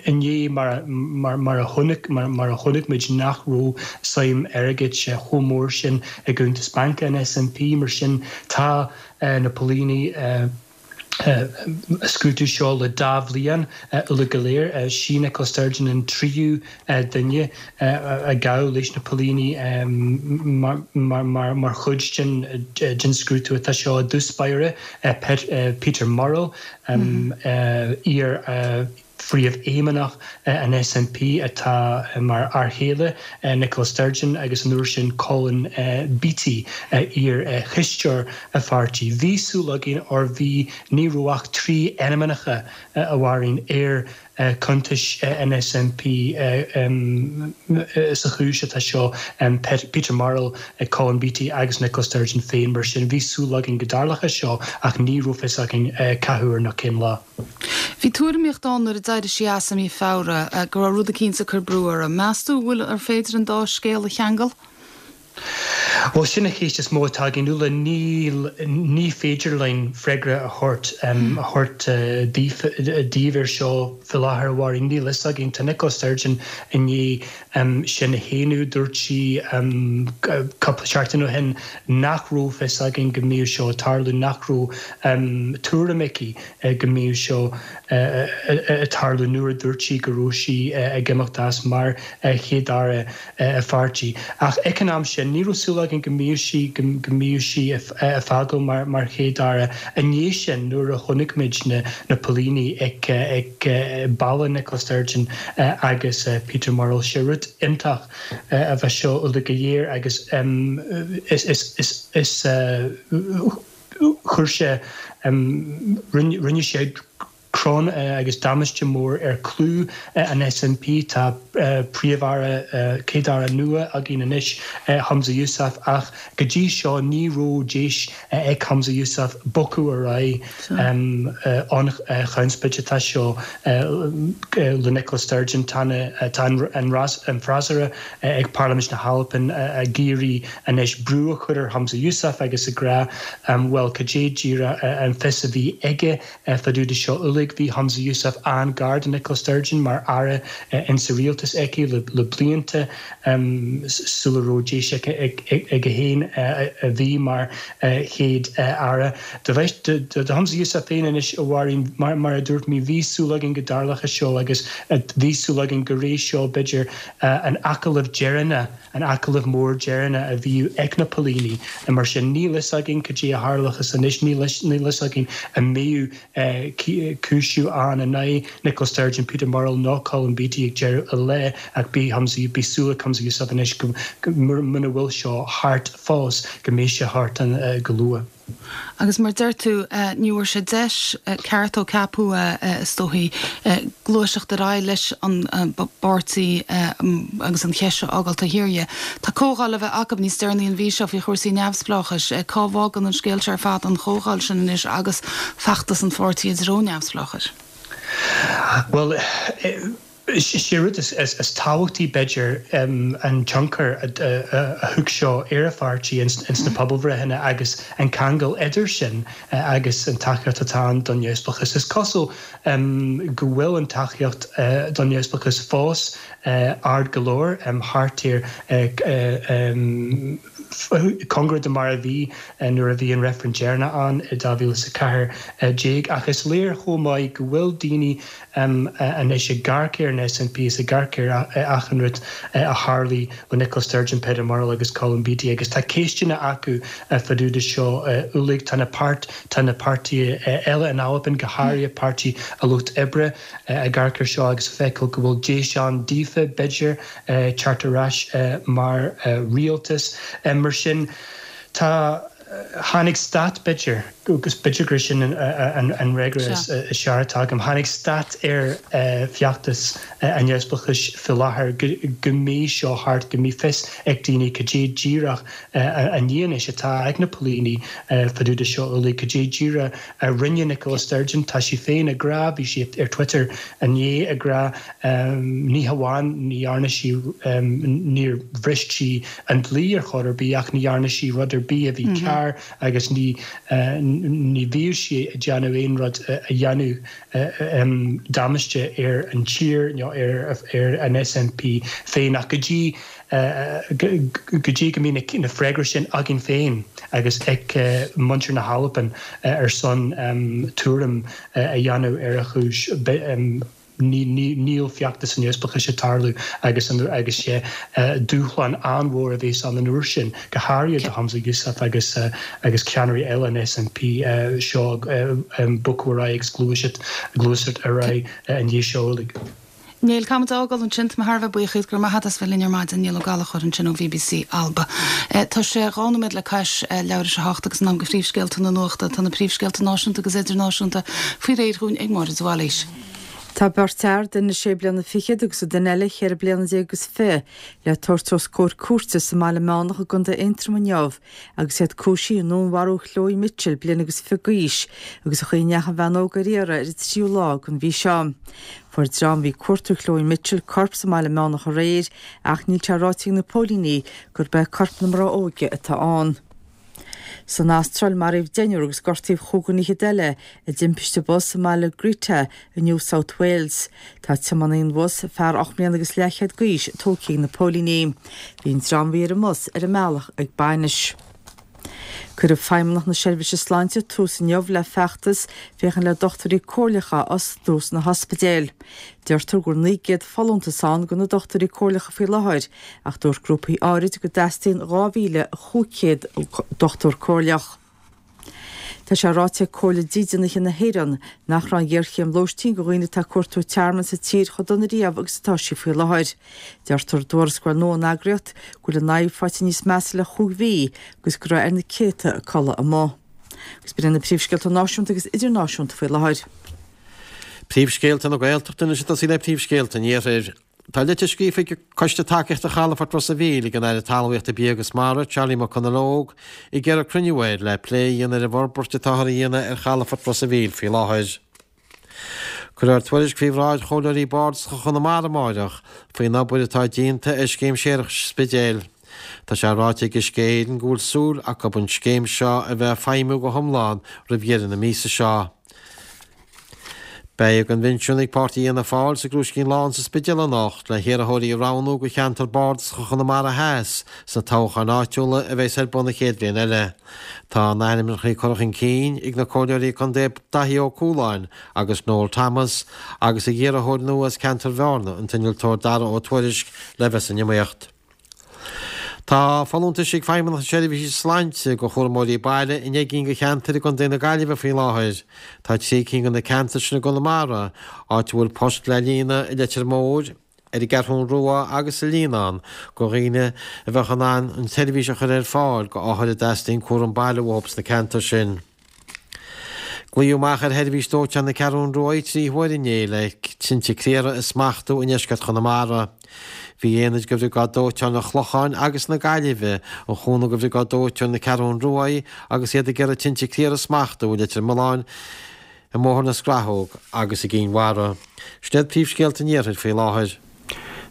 inné mar mar mar a chonaic mar mar a chonaic muid nach raibh suim airgid chomh mór sin i gcuntas bainc an SNP mar sin tá uh, na póilíní uh, Uh, scrúdú seo le dá bhliain uile go léir sí Nicola Sturgeon an tríú duine a gabhadh leis na póilíní mar, mar, mar, mar chuid den den scrúdú atá seo i dtús báire Peter Murrell um, mm. uh, iar uh, phríomhfheidhmeannach an SNP atá mar fhear céile Nicola Sturgeon agus an uair sin Colin Beattie iar-chisteoir a pháirtí. Bhí súil againn or bhí ní raibh ach trí ainmneacha a Mháirín ar cuntais an SNP sa chúis atá seo Peter Murrell Colin Beattie agus Nicola Sturgeon féin mar sin bhí súil againn go dtarlódh seo ach ní raibh fhios againn cá huair ná cén lá. Bhí tuairimíocht ann nuair a d'éirigh sí as i mí Feabhra go raibh rud éicint ag cur brú uirthi. Meas tú bhfuil ar féidir an dá scéal a cheangal? Well sin an cheist is mó atá againn Úna ní ní féidir linn freagra a thabhairt um, a thabhairt uh, daoibh air seo faoi láthair a Mháirín níl fhios againn tá Nicola Sturgeon i ndiaidh um, sin a shéanadh dúirt sí um, cúpla seachtain ó shin nach raibh fhios againn go mbeadh seo tarlú nach raibh um, tuairim aici uh, go mbeadh seo uh, uh, tarlú nuair a dúirt sí go raibh sí uh, ag imeacht as mar uh, chéad-aire uh, a pháirtí. Ach ag an am sin ní raibh súil againn go mbeadh sí go mbeadh sí ag fágáil mar mar chéad-aire i ndiaidh sin nuair a chonaic muid na na póilíní ag ag baile Nicola Sturgeon agus Peter Murrell sé rud iontach a bheith seo uile go léir agus um, is is is is uh, chuir sé um, rinne sé crann uh, agus damáiste mór ar clú uh, an SNP tá uh, príomh-aire uh, céad-aire nua againn anois uh, Humza Yousaf ach go dtí seo ní raibh deis uh, ag Humza Yousaf bogadh ar aghaidh um, uh, an uh, chonspóid atá seo uh, le Nicola Sturgeon tá tá an ras an freasúra uh, ag Parlaimint na hAlban uh, ag iarraidh anois brú a chur ar Humza Yousaf agus ag rá um, well cad é díreach uh, an fios a bhí aige uh, fá dtaobh de seo uilig bhí Humza Yousaf an-ghar do Nicola Sturgeon mar aire uh, in sa rialtas aici le, le blianta um, sula raibh deis aige féin uh, a bhí mar uh, chéad uh, aire. Do do Humza Yousaf féin anois a Mháirín mar, mar a dúirt mé bhí súil againn go dtarlódh seo agus uh, bhí súil againn go raibh seo b'fhéidir uh, an agallamh deireanach an agallamh mór deireanach a bhí ag na póilíní mar sin níl fhios againn cad é a tharlóchas anois níl fhios againn an mbeidh uh, cúisiú ann in aghaidh Nicola Sturgeon Peter Murrell ná Colin Beattie ag deireadh an lae ach bí Humza bí súil ag Humza Yousaf anois go muna bhfuil seo thart fós go mbeidh sé thart an uh, go luath. Agus mar deir tú, ní bhfuair sé deis ceart ó ceapadh é, is dóichí, gluaiseacht ar aghaidh leis an bpáirtí agus an cheist seo a fhágáil taobh thiar dhe. Tá comhdháil le bheith acu níos deireanaí an mhí seo faoi chúrsaí neamhspleáchais. Cá bhfágann an scéal seo ar fad an chomhdháil sin anois agus feachtas an pháirtí i dtreo neamhspleáchais? Bhuel, Is é rud is tábhachtaí, b'fhéidir, an tionchar a thug seo ar an pháirtí ins na pobalbhreitheanna agus an ceangal idir sin agus an tacaíocht atá ann don neamhspleáchas. Is cosúil go bhfuil an tacaíocht don neamhspleáchas fós ard go leor, thart ar cóngarach do mar a bhí nuair a bhí an reifreann deireanach ann i dhá mhíle is a ceathair déag. Ach is léir chomh maith go bhfuil daoine anois ag amharc ar an S N P is ag amharc ar achan rud a tharlaigh le Nicola Sturgeon, Peter Murrell agus Colin Beattie agus tá ceisteanna acu fá dtaobh de seo uilig. Tá na páirt tá na páirtithe eile in Albain, go háirithe Páirtí an Lucht Oibre, ag amharc ar seo agus ag feiceáil go bhfuil deis ann daofa, b'fhéidir, teacht ar ais mar rialtas. Mar sin, tá tháinig stad, b'fhéidir, agus b'fhéidir gur sin an fhreagra is fearr atá agam, tháinig stad ar feachtas an neamhspleáchais faoi láthair go mbeidh seo thart, go mbeidh fios ag daoine cad é díreach an fhianaise atá ag na póilíní fá dtaobh de seo uilig, cad é díreach a rinne Nicola Sturgeon. Tá sí féin ag rá, bhí sí ar Twitter inné ag rá, ní hamháin ní dhearna sí, níor bhris sí an dlí ar chor ar bith ach ní dhearna sí rud ar bith a bhí cearr agus ní ní bhíodh sí ag déanamh aon rud a dhéanadh damáiste ar an tír nó ar ar an S N P féin. Ach go dtí go dtí go mbíonn na freagraí sin againn féin agus ag muintir na hAlban ar son tuairim a dhéanamh ar a chúis, níl feachtas an neamhspleáchais ag tarlú agus agus sé dúshlán an-mhór a bheas ann an uair sin, go háirithe do Humza Yousaf agus agus ceannairí eile an S N P seo bogadh ar aghaidh agus gluaiseacht gluaiseacht ar aghaidh an dhiaidh seo uilig. Niall, caithfidh muid a fhágáil ansin. Tá mé thar a bheith buíoch díot, go raibh maith agat as bheith linn ar maidin, Niall Ó Gallchóir ansin ó B B C Alba. Tá sé dhá nóiméad le cois leathuair tar éis a hocht agus in am do phríomhscéalta na nuachta. Tá na príomhscéalta náisiúnta agus idirnáisiúnta faoi réir dhúinn ag Máire de Bhailís. Tá beirt fhear, duine sé bliana fichead agus an duine eile cheithre bliana déag agus fiche, le tabhairt os comhair cúirte sa mBaile Meánach i gContae Aontroim inniu agus iad cúisithe i ndúnmharú Chloe Mitchell, bliain agus fiche d'aois, agus a chaoi a ndeachaigh an bhean óg ar iarraidh ar an tríú lá den mhí seo. Fuair dream a bhí ag cuartú Chloe Mitchell corp sa mBaile Meánach aréir ach níl sé ráite ag na póilíní gurb é corp na mná óige atá ann. San Astráil, maraíodh deichniúr agus gortaíodh chúigear fhichead eile i dtimpiste bus i mbaile Greta i New South Wales. Tá tiománaí an bhus, fear ocht mbliana agus leathchéad d'aois, tógtha ag na póilíní. Bhí an dream a bhí ar an mbus ar a mbealach ag bainis. Cuirfidh Feidhmeannacht na Seirbhíse Sláinte tús inniu le feachtas féachaint le dochtúirí comhairleacha a fhostú sna hospidéil. Deirtear go bhfuil naoi gcéad folúntas ann do na dochtúirí comhairleacha faoi láthair, ach dúirt grúpaí áirid go dteastaíonn dhá mhíle chúig chéad dochtúir comhairleach. Tá sé ráite ag Comhairle Dídeanaithe na hÉireann nach raibh an ghéarchéim lóistín do dhaoine atá ag cuartú tearmainn sa tír chomh dona riamh agus atá sí faoi láthair. Deirtear i dtuarascáil nua ón eagraíocht go bhfuil an fhadhb faighte níos measa le chúig mhí agus go raibh ar na céadta ag codladh amuigh. Agus b'in na príomhscéalta náisiúnta agus idirnáisiúnta faoi láthair. Príomhscéalta na Gaeltachta anois ag tosaí le príomhscéalta an Iarthair. Tá litir scríofa ag Coiste Tacaíochta Chalafort Ros an Mhíl ag an Aire Talmhaíochta Bia agus Mara, Charlie McConalogue, ag iarraidh cruinniú air le plé a dhéanamh ar an bhforbairt atáthar a dhéanamh ar chalafort Ros an Mhíl faoi láthair. Cuirfear tuairisc faoi bhráid chomhairleoirí bardasacha Chonamara amárach faoin obair atá déanta ar scéim séarachais an Spidéil. Tá sé ráite ag Uisce Éireann go bhfuil súil acu an scéim seo a bheith ag feidhmiú go hiomlán roimh dheireadh na míosa seo. Beidh coinbhinsiún ag Páirtí Fhianna Fáil sa gCrúiscín Lán sa Spidéal anocht le hiarrthóirí a roghnú do cheantar bardasach Chonamara Theas sna toghcháin áitiúla a bheas ar bun an chéad bhliain eile. Tá na hainmneacha curtha chun cinn ag na comhairleoirí contae Daithí Ó Cualáin agus Noel Thomas agus ag iarrthóir nua as ceantar Bhearna an t-innealtóir Dara Ó Tuairisg le bheith san iomaíocht. Tá folúntais ag Feidhmeannacht na Seirbhíse Sláinte do chúramóirí baile i ndeich gcinn de cheantair i gContae na Gaillimhe faoi láthair. Tá trí cinn de na ceantair sin i gConamara, áit a bhfuil post le líonadh i Leitir Móir, ar an gCeathrú Rua agus sa Líonán go dhaoine a bheadh in ann an tseirbhís a chur ar fáil go othair a dteastaíonn cúram baile uathu sna ceantair sin. Glaodh amach ar sheirbhís dóiteáin na Ceathrún Rua trí huaire inné le tinte caora a smachtú i ndeisceart Chonamara. Bhí aonaid de Bhriogáid Dóiteáin an Chlocháin agus na Gaillimhe ar chúnamh do Bhriogáid Dóiteáin na Ceathrún Rua agus iad ag iarraidh tinte caora a smachtú i Leitir Mealláin, i mBóthar na Scrathóg agus i gCinn Mhara. Sin iad príomhscéalta an Iarthair faoi láthair.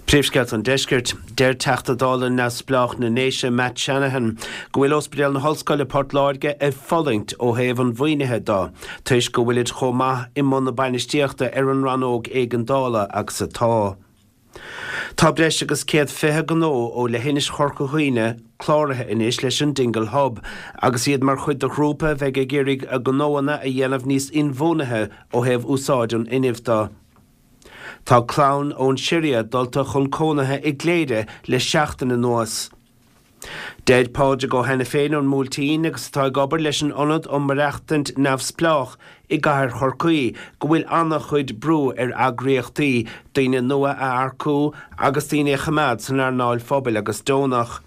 Príomhscéalta an Deiscirt. Deir Teachta Dála Neamhspleách na nDéise Matt Shanahan go bhfuil Ospidéal na hOllscoile Port Láirge ag fulaingt ó thaobh an mhaoinithe de toisc go bhfuilid chomh maith i mbun na bainistíochta ar an rannóg éigeandála agus atá. Tá breis agus céad fiche gnó ó leithinis Chorca Dhuibhne cláraithe anois leis an Dingle Hub agus iad mar chuid de ghrúpa a bheidh ag iarraidh a ngnóanna a dhéanamh níos inbhuanaithe ó thaobh úsáid an fhuinnimh de. Tá clann ón Siria dulta chun cónaithe i gCléire le seachtain anuas. Deir Pádraig Ó hAiniféin ón mBuailtín agus atá ag obair leis an Ionad um Maireachtaint Neamhspleách i gcathair Chorcaí go bhfuil an-chuid brú ar eagraíochtaí daoine nua a earcú agus daoine a choimeád san earnáil phobail agus deonach.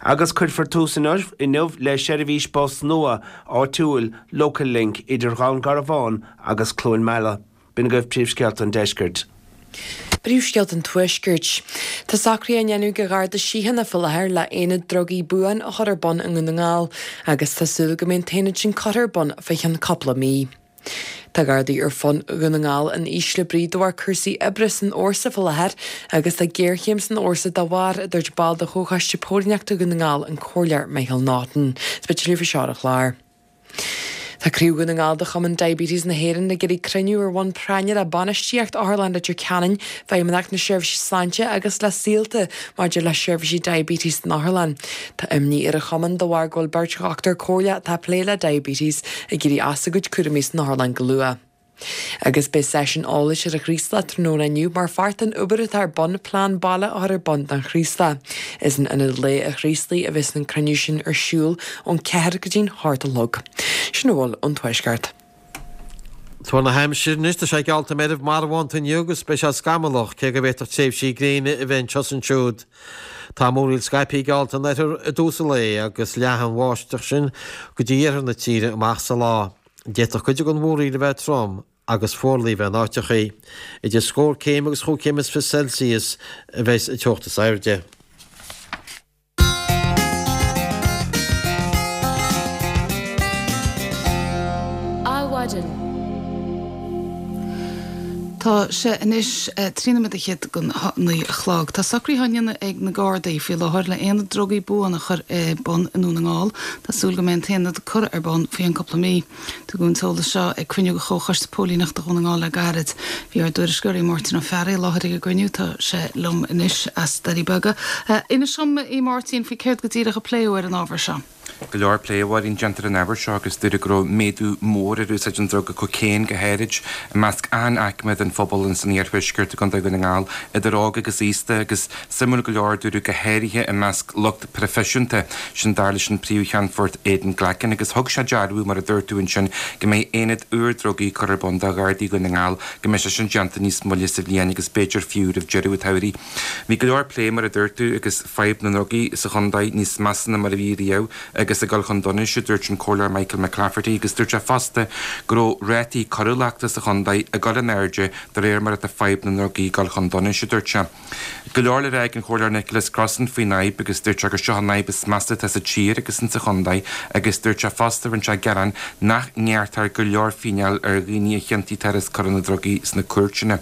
Agus cuirfear tús inniu le seirbhís bus nua áitiúil Local Link idir Dhún Garbhán agus Cluain Meala. B'in agaibh príomhscéalta an Deiscirt. Príomhscéalta an Tuaiscirt. Tá socruithe á ndéanamh ag Garda Síochána faoi láthair le aonad drugaí buan a chur ar bun i nDún na nGall agus tá súil go mbeidh an t-aonad sin curtha ar bun fé cheann cúpla mí. Tá Gardaí ar fud Dhún na nGall in ísle brí de bharr cúrsaí oibre san fhórsa faoi láthair agus tá géarchéim san fhórsa dá bharr, a dúirt ball de Chomhchoiste Póilíneachta Dhún na nGall, an Comhairleoir Michael Naughton. Is beidh tuilleadh faoi seo ar an chlár. Tá Craobh Dhún na nGall de Chumann Diabetes na hÉireann ag iarraidh cruinniú ar bhonn práinne le bainistíocht Otharlann Leitir Ceanainn, Feidhmeannacht na Seirbhíse Sláinte agus le Saolta maidir le seirbhísí diabetes san otharlann. Tá imní ar an chumann de bharr go bhfuil beirt dhochtúir comhairle atá ag plé le diabetes ag éirí as a gcuid cúraimí san otharlann go luath. Agus beidh seisiún eolais ar an Chraoslach tráthnóna inniu mar pháirt den obair atá ar bun plean baile a chur ar bun don Chraoslach. Is in Ionad Lae an Chraoslaigh a bheas an cruinniú sin ar siúl ón ceathair go dtí'n hocht a chlog. Sin a bhfuil ón Tuaisceart. Tuar na haimsire anois, tá sé geallta meirbh marbhánta inniu agus beidh sé scamallach, cé go bhféadfadh tréimhsí gréine a bheith anseo is ansiúd. Tá múraíl scaipthe geallta in oirthear i dtús an lae agus leathfaidh an bháisteach sin go dtí iarthar na tíre amach sa lá. D'fhéadfadh cuid den mhúraíl a bheith trom agus fuarlaigh a bheith in áiteachaí. Idir scór céim agus chúig chéim is fiche Celsius a bheas an teocht is airde. Adhmhaidin. Tá sé anois trí nóiméad fhichead don naoi a chlog. Tá socruithe á ndéanamh ag na Gardaí faoi láthair le aonad drugaí buan a chur ar bun i nDún na nGall. Tá súil go mbeidh an t-aonad curtha ar bun faoi cheann cúpla mí. Tugadh an t-eolas seo ag cruinniú de Chomhchoiste Póilíneachta Dhún na nGall le gairid. Bhí ár dtuairisceoir Máirtín Ó Fearraigh i láthair ag an gcruinniú. Tá sé liom anois as Doirí Beaga. Inis dom, a Mháirtín, faoi céard go díreach a pléadh ar an ábhar seo. Go leor plé, a Mháirín, déanta ar an ábhar seo agus dúradh go raibh méadú mór ar úsáid an druga cocaine go háirid i measc achan aicme den phobal ins an iarthuaisceart i gContae Dhún na nGall, idir óg agus aosta, agus suimiúil go leor, dúradh go háirithe i measc lucht proifisiúnta, sin dar leis an Príomh-Cheannfort Aidan Glackin, agus thug sé dearbhú, mar a dúirt tú ansin, go mbeidh aonad úr drugaí curtha ar bun do Ghardaí Dhún na nGall, go mbeidh sé sin déanta níos moille sa bhliain agus b'fhéidir fiú roimh deireadh an tsamhraidh. Bhí go leor plé, mar a dúirt tú, agus fadhb na ndrugaí sa chontae níos measa ná mar a bhí riamh agus ag dul chun donais, a dúirt an Comhairleoir Michael McClafferty, agus dúirt sé fosta go raibh rátaí coiriúlachta sa chontae ag dul in airde de réir mar atá fadhb na ndrugaí ag dul chun donais, a dúirt sé. Go leor le rá ag an Chomhairleoir Nicholas Crossan faoin fhadhb agus dúirt sé gur seo an fhadhb is measa atá sa tír agus insa chontae agus dúirt sé fosta, rinne sé gearán nach ngearrtar go leor fíneáil ar dhaoine a chiontaítear as coireanna drugaí sna cúirteanna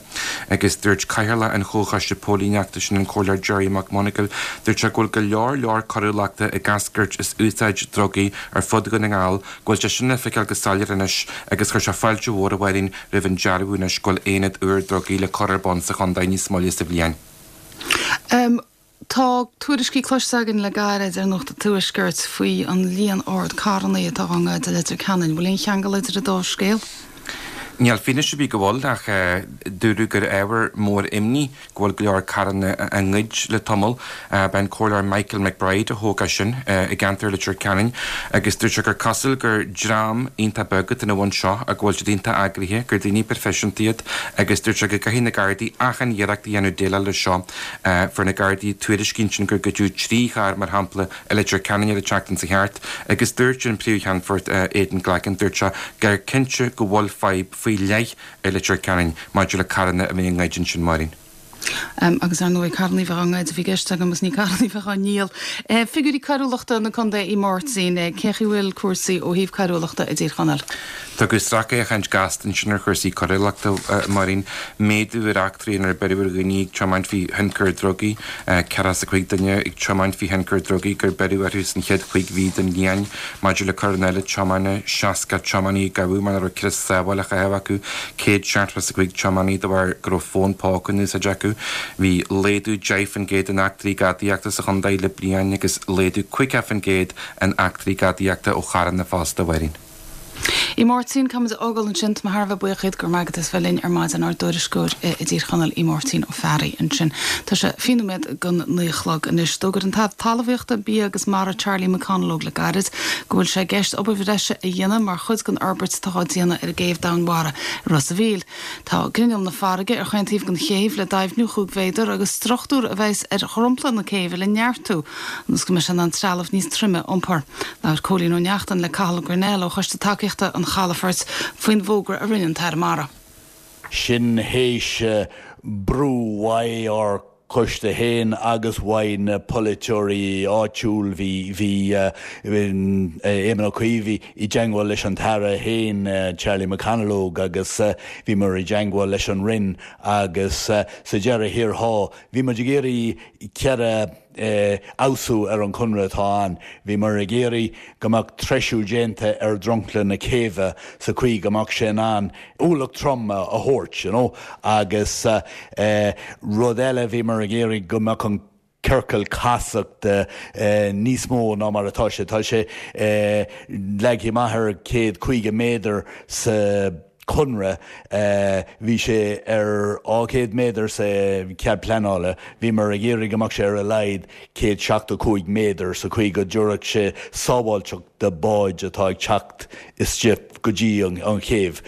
agus dúirt Cathaoirleach an Chomhchoiste Póilíneachta, sin an Comhairleoir Gerry McMonagle, dúirt sé go bhfuil go leor leor coiriúlachta ag eascairt as úsáid drugaí ar fud Dhún na nGall, go bhfuil sé sin le feiceáil go soiléir anois agus chuir sé fáilte mhór, a Mháirín, roimh an dearbhú anois go bhfuil aonad úr drugaí le cur ar bun sa chontae níos moille sa bhliain. Tá tuairiscí cloiste againn le gairid ar Nuacht an Tuaiscirt faoi an líon ard carranna atá á ngoid i Leitir Ceanainn. Bhfuil aon cheangal idir an dá scéal? Níl fianaise ar bith go bhfuil ach dúradh gur ábhar mór imní go bhfuil go leor carranna á ngoid le tamall. B'é an Comhairleoir Michael McBride a thóg é sin i gceantar Leitir Ceanainn agus dúirt sé gur cosúil gur dream iontach beag atá ina bhun seo ach go bhfuil siad iontach eagraithe, gur daoine proifisiúnta iad agus dúirt sé go gcaithfidh na Gardaí achan iarracht a dhéanamh déileáil leis seo. Fuair na Gardaí tuairiscí ansin gur goideadh trí charr mar shampla i Leitir Ceanainn ar an tseachtain seo thart agus dúirt an Príomh-Cheannfort Aidan Glackin, dúirt sé gur cinnte go bhfuil fadhb faoi leith i Leitir Ceanainn maidir le carranna a bheith á ngoid ansin, Máirín. Agus ar ndóigh carranna a bheith á ngoid a bhí i gceist agam agus ní carranna a bheith á ndíol. Figiúirí coiriúlachta na contae a Mháirtín, cén chaoi a bhfuil cúrsaí ó thaobh coiriúlachta i dTír Chonaill? Tugadh sracfhéachaint gasta ansin ar chúrsaí coiriúlachta, Máirín. Méadú ar eachtraí inar beireadh ar dhaoine ag tiomáint faoi thionchar drugaí, ceathracha is a cúig duine ag tiomáint faoi thionchar drugaí gur beireadh orthu san chéad chúig mhí den bhliain. Maidir le coireanna eile tiomána, seasca tiománaí a gabhadh mar nach raibh crios sábhála á chaitheamh acu, céad seachtó is a cúig tiománaí de bharr go raibh fón póca in úsáid acu. Bhí laghdú deich faoin gcéad in eachtraí gadaíochta sa chontae le bliain agus laghdú caoga faoin gcéad in eachtraí gadaíochta ó charranna fosta, a Mháirín. A Mháirtín, caithfimid a fhágáil ansin, tá mé thar a bheith buíoch díot, go raibh maith agat as bheith linn ar maidin, ár dtuairisceoir i dTír Chonaill, a Mháirtín Ó Fearraigh ansin. Tá sé fiche nóiméad don naoi a chlog anois. D'fhógair an tAire Talmhaíochta, Bia agus Mara Charlie McConalogue le gairid go bhfuil sé i gceist obair bhreise a dhéanamh mar chuid den fhorbairt atá á déanamh ar an gcéibh domhainmhara i Ros a' Mhíl. Tá grinneall na farraige ar chaon taobh den chéibh le doimhniú chúig mhéadar agus struchtúr a bheas ar dhromchla na céibhe le neartú ionas go mbeidh sé in ann trealamh níos troime a iompar. Labhair Cóilín Ó Neachtain le Cathal Grennell ó Choiste Tacaíochta an Chalafoirt faoin bhfógra a rinne an tAire Mara. Sin théis brú uaidh ár coiste féin agus uaidh na polaiteoirí áitiúil. Bhí bhí Éamon Ó Cuív i dteangmháil leis an tAire féin, Charlie McConalogue, agus bhíomar i dteangmháil leis an Roinn agus sa deireadh thiar thall bhí muid ag iarraidh ceithre fheabhsú ar an chonradh atá ann. Bhíomar ag iarraidh go mbeadh treisiú déanta ar dhromchla na céibhe sa chaoi go mbeadh sé in ann ualach trom a thabhairt, you know, agus rud eile bhíomar ag iarraidh go mbeadh an ciorcal casachta níos mó ná mar atá sé. Tá sé leagtha amach ar céad caoga méadar sa chonradh. Bhí sé ar dhá chéad méadar sa chead pleanála. Bhíomar ag iarraidh go mbeadh sé ar a laghad céad seachtó cúig méadar sa chaoi go dtabharfadh sé sábháilteacht do báid atá ag teacht isteach go dtí an chéibh.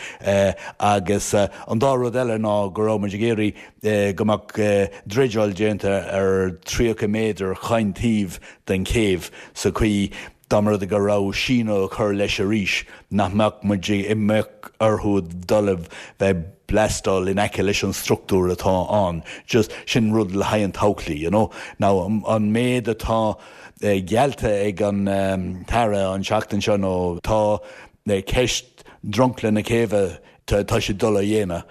Agus an dá rud eile ná go raibh muid ag iarraidh go mbeadh dreideáil déanta ar tríocha méadar chaon taobh den chéibh sa chaoi Dá mba rud é go raibh síneadh á chur leis arís, nach mbeadh muid mbeadh orthu dul a bheith blastáil in aice leis an struchtúr atá ann. Just, sin rud le haghaidh an todhchaí, you know. Now, an méid atá geallta ag an tAire an tseachtain seo nó tá ceist dromchla na céibhe, tá sé dul a dhéanamh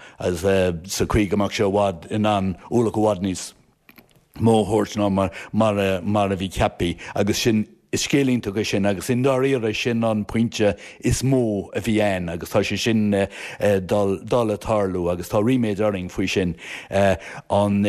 sa chaoi go mbeadh sé i bhfad in ann ualach i bhfad níos mó a thabhairt ná mar a bhí ceaptha agus sin, is scéal iontach é sin agus i ndáiríre sin an pointe is mó a bhí ann agus tá sé sin dul dul a tarlú agus tá ríméad orainn faoi sin. An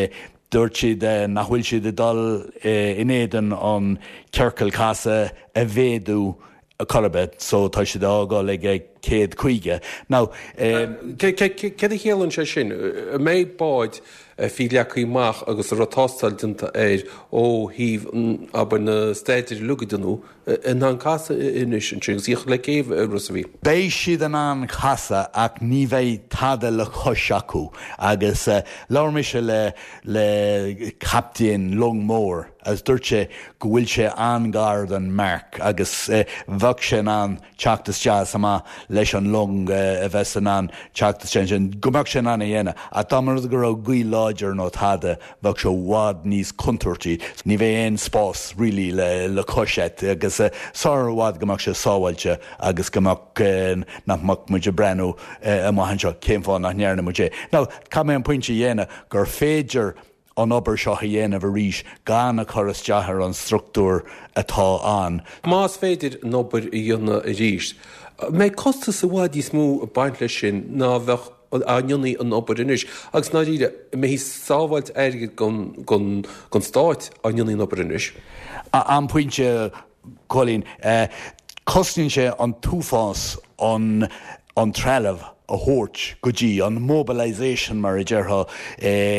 dúirt siad nach bhfuil siad ag dul in éadan an ciorcal casadh a mhéadú chor ar bith so tá siad á fhágáil ag céad caoga. Now. Céard a chiallaíonn sé sin? An mbeidh bád fiú leagtha amach agus a raibh tástáil déanta air ó thaobh abair na staidéir uilig a déanadh in ann casadh anois ansin agus íoc le céibh i Ros a' Mhíl? Beidh siad in ann casadh ach ní bheidh tada le cois acu agus labhair mise le le captaen long mór agus dúirt sé go bhfuil sé an-ghar don marc agus bheadh sé in ann teacht isteach is amach leis an long a bheas in ann teacht isteach ansin, go mbeadh sé in ann a dhéanamh. Ach dá mba rud go raibh gaoth láidir nó tada, bheadh sé i bhfad níos contúirtí. Ní bheidh aon spás really le cois agat agus sar i bhfad go mbeadh sé sábháilte agus go mbeadh, nach mbeadh muid ag breathnú amach anseo cén fáth nach ndearna muid é. Now, caithfidh mé an pointe a dhéanamh gur féidir an obair seo a dhéanamh arís gan a chur isteach ar an struchtúr atá ann. Más féidir an obair a dhéanamh arís, an mbeidh costas i bhfad níos mó ag baint leis sin ná a bheadh dá ndéanfaí an obair anois? Agus i ndáiríre, an mbeidh sábháilt airgid don Stát dá ndéanfaí an obair anois? An pointe, Cóilín. Cosnaíonn sé an t-uafás an an trealamh a thabhairt go dtí an mobilisation mar a déarfá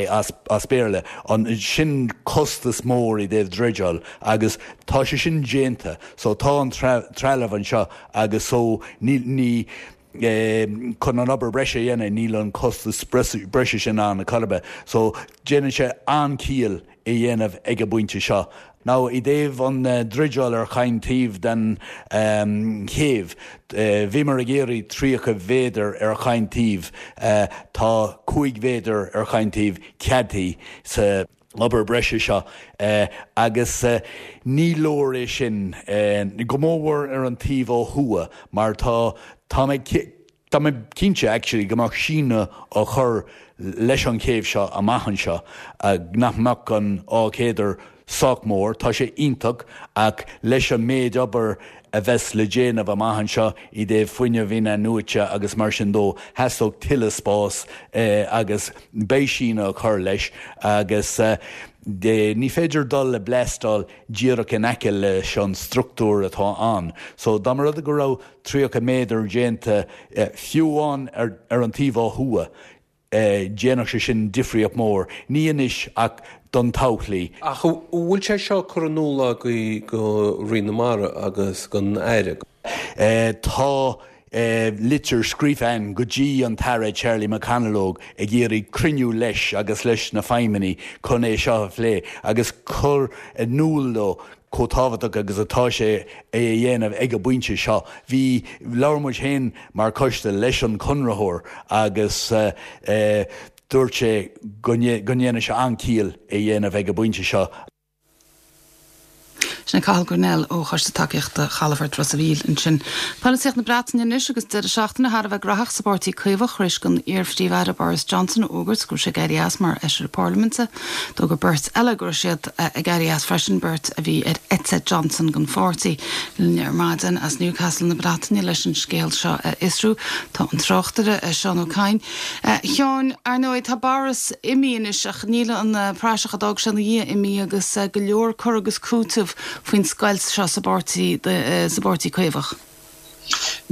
as as Béarla, an sin costas mór i dtaobh dreideáil agus tá sé sin déanta so tá an trealamh anseo agus so ní ní chun an obair breise a dhéanamh níl an costas breise sin ann a chor ar bith so déanann sé an-chiall é dhéanamh ag an bpointe seo. Now i dtaobh an dreideáil ar chaon taobh den chéibh, bhíomar ag iarraidh tríocha mhéadar ar chaon taobh, tá cúig mhéadar ar chaon taobh ceadaithe sa obair breise seo agus ní leor é sin, go mórmhór ar an taobh ó thuaidh mar tá, tá mé, Tá mé cinnte actually go mbeadh síneadh á chur leis an chéibh seo amach anseo, nach mbeadh an dhá mhéadar sách mór, tá sé iontach ach leis an méid obair a bheas le déanamh amach anseo i dtaobh fuinneamh in-athnuaite agus mar sin dó, theastódh tuilleadh spás agus beidh síneadh á chur leis agus ní féidir dul ag bleastáil díreach in aice leis an struchtúr atá ann. So dá mba rud é go raibh tríocha méadar déanta, fiú amháin ar an taobh ó thuaidh, dhéanfadh sé sin difríocht mhór, ní anois ach don todhchaí. Ach an bhfuil sé seo curtha in iúl agaibh go Roinn na Mara agus don Aire? Tá litir scríofa againn go dtí an tAire Charlie McConalogue ag iarraidh cruinniú leis agus leis na feidhmeannaigh chun é seo a phlé agus cur in iúl dó chomh tábhachtach agus atá sé é a dhéanamh ag an bpointe seo. Bhí, labhair muid féin mar choiste leis an chonraitheoir agus dúirt sé go ndéanadh sé an-chiall é a dhéanamh ag an bpointe seo. Sin é Cathal Grennell ó Choiste Tacaíochta Chalafort Ros a' Mhíl ansin. Polaitíocht na Breataine anois agus deireadh seachtaine thar a bheith graitheach sa bPáirtí Caomhach tar éis don iar-Phríomh-Aire Boris Johnson a fhógairt go raibh sé ag éirí as mar Fheisire Parlaiminte. D'fhógair beirt eile go raibh siad ag éirí as freisin, beirt a bhí ar eite Johnson den pháirtí. Linn ar maidin as Newcastle na Breataine leis an scéal seo a fhiosrú tá an tráchtaire Seán Ó Cadhain. A Sheáin, ar ndóigh tá Boris imithe anois ach níl an praiseach a d'fhág sé ina dhiaidh imithe agus go leor cur agus cúiteamh faoin scoilt seo sa bpáirtí sa bpáirtí Caomhach.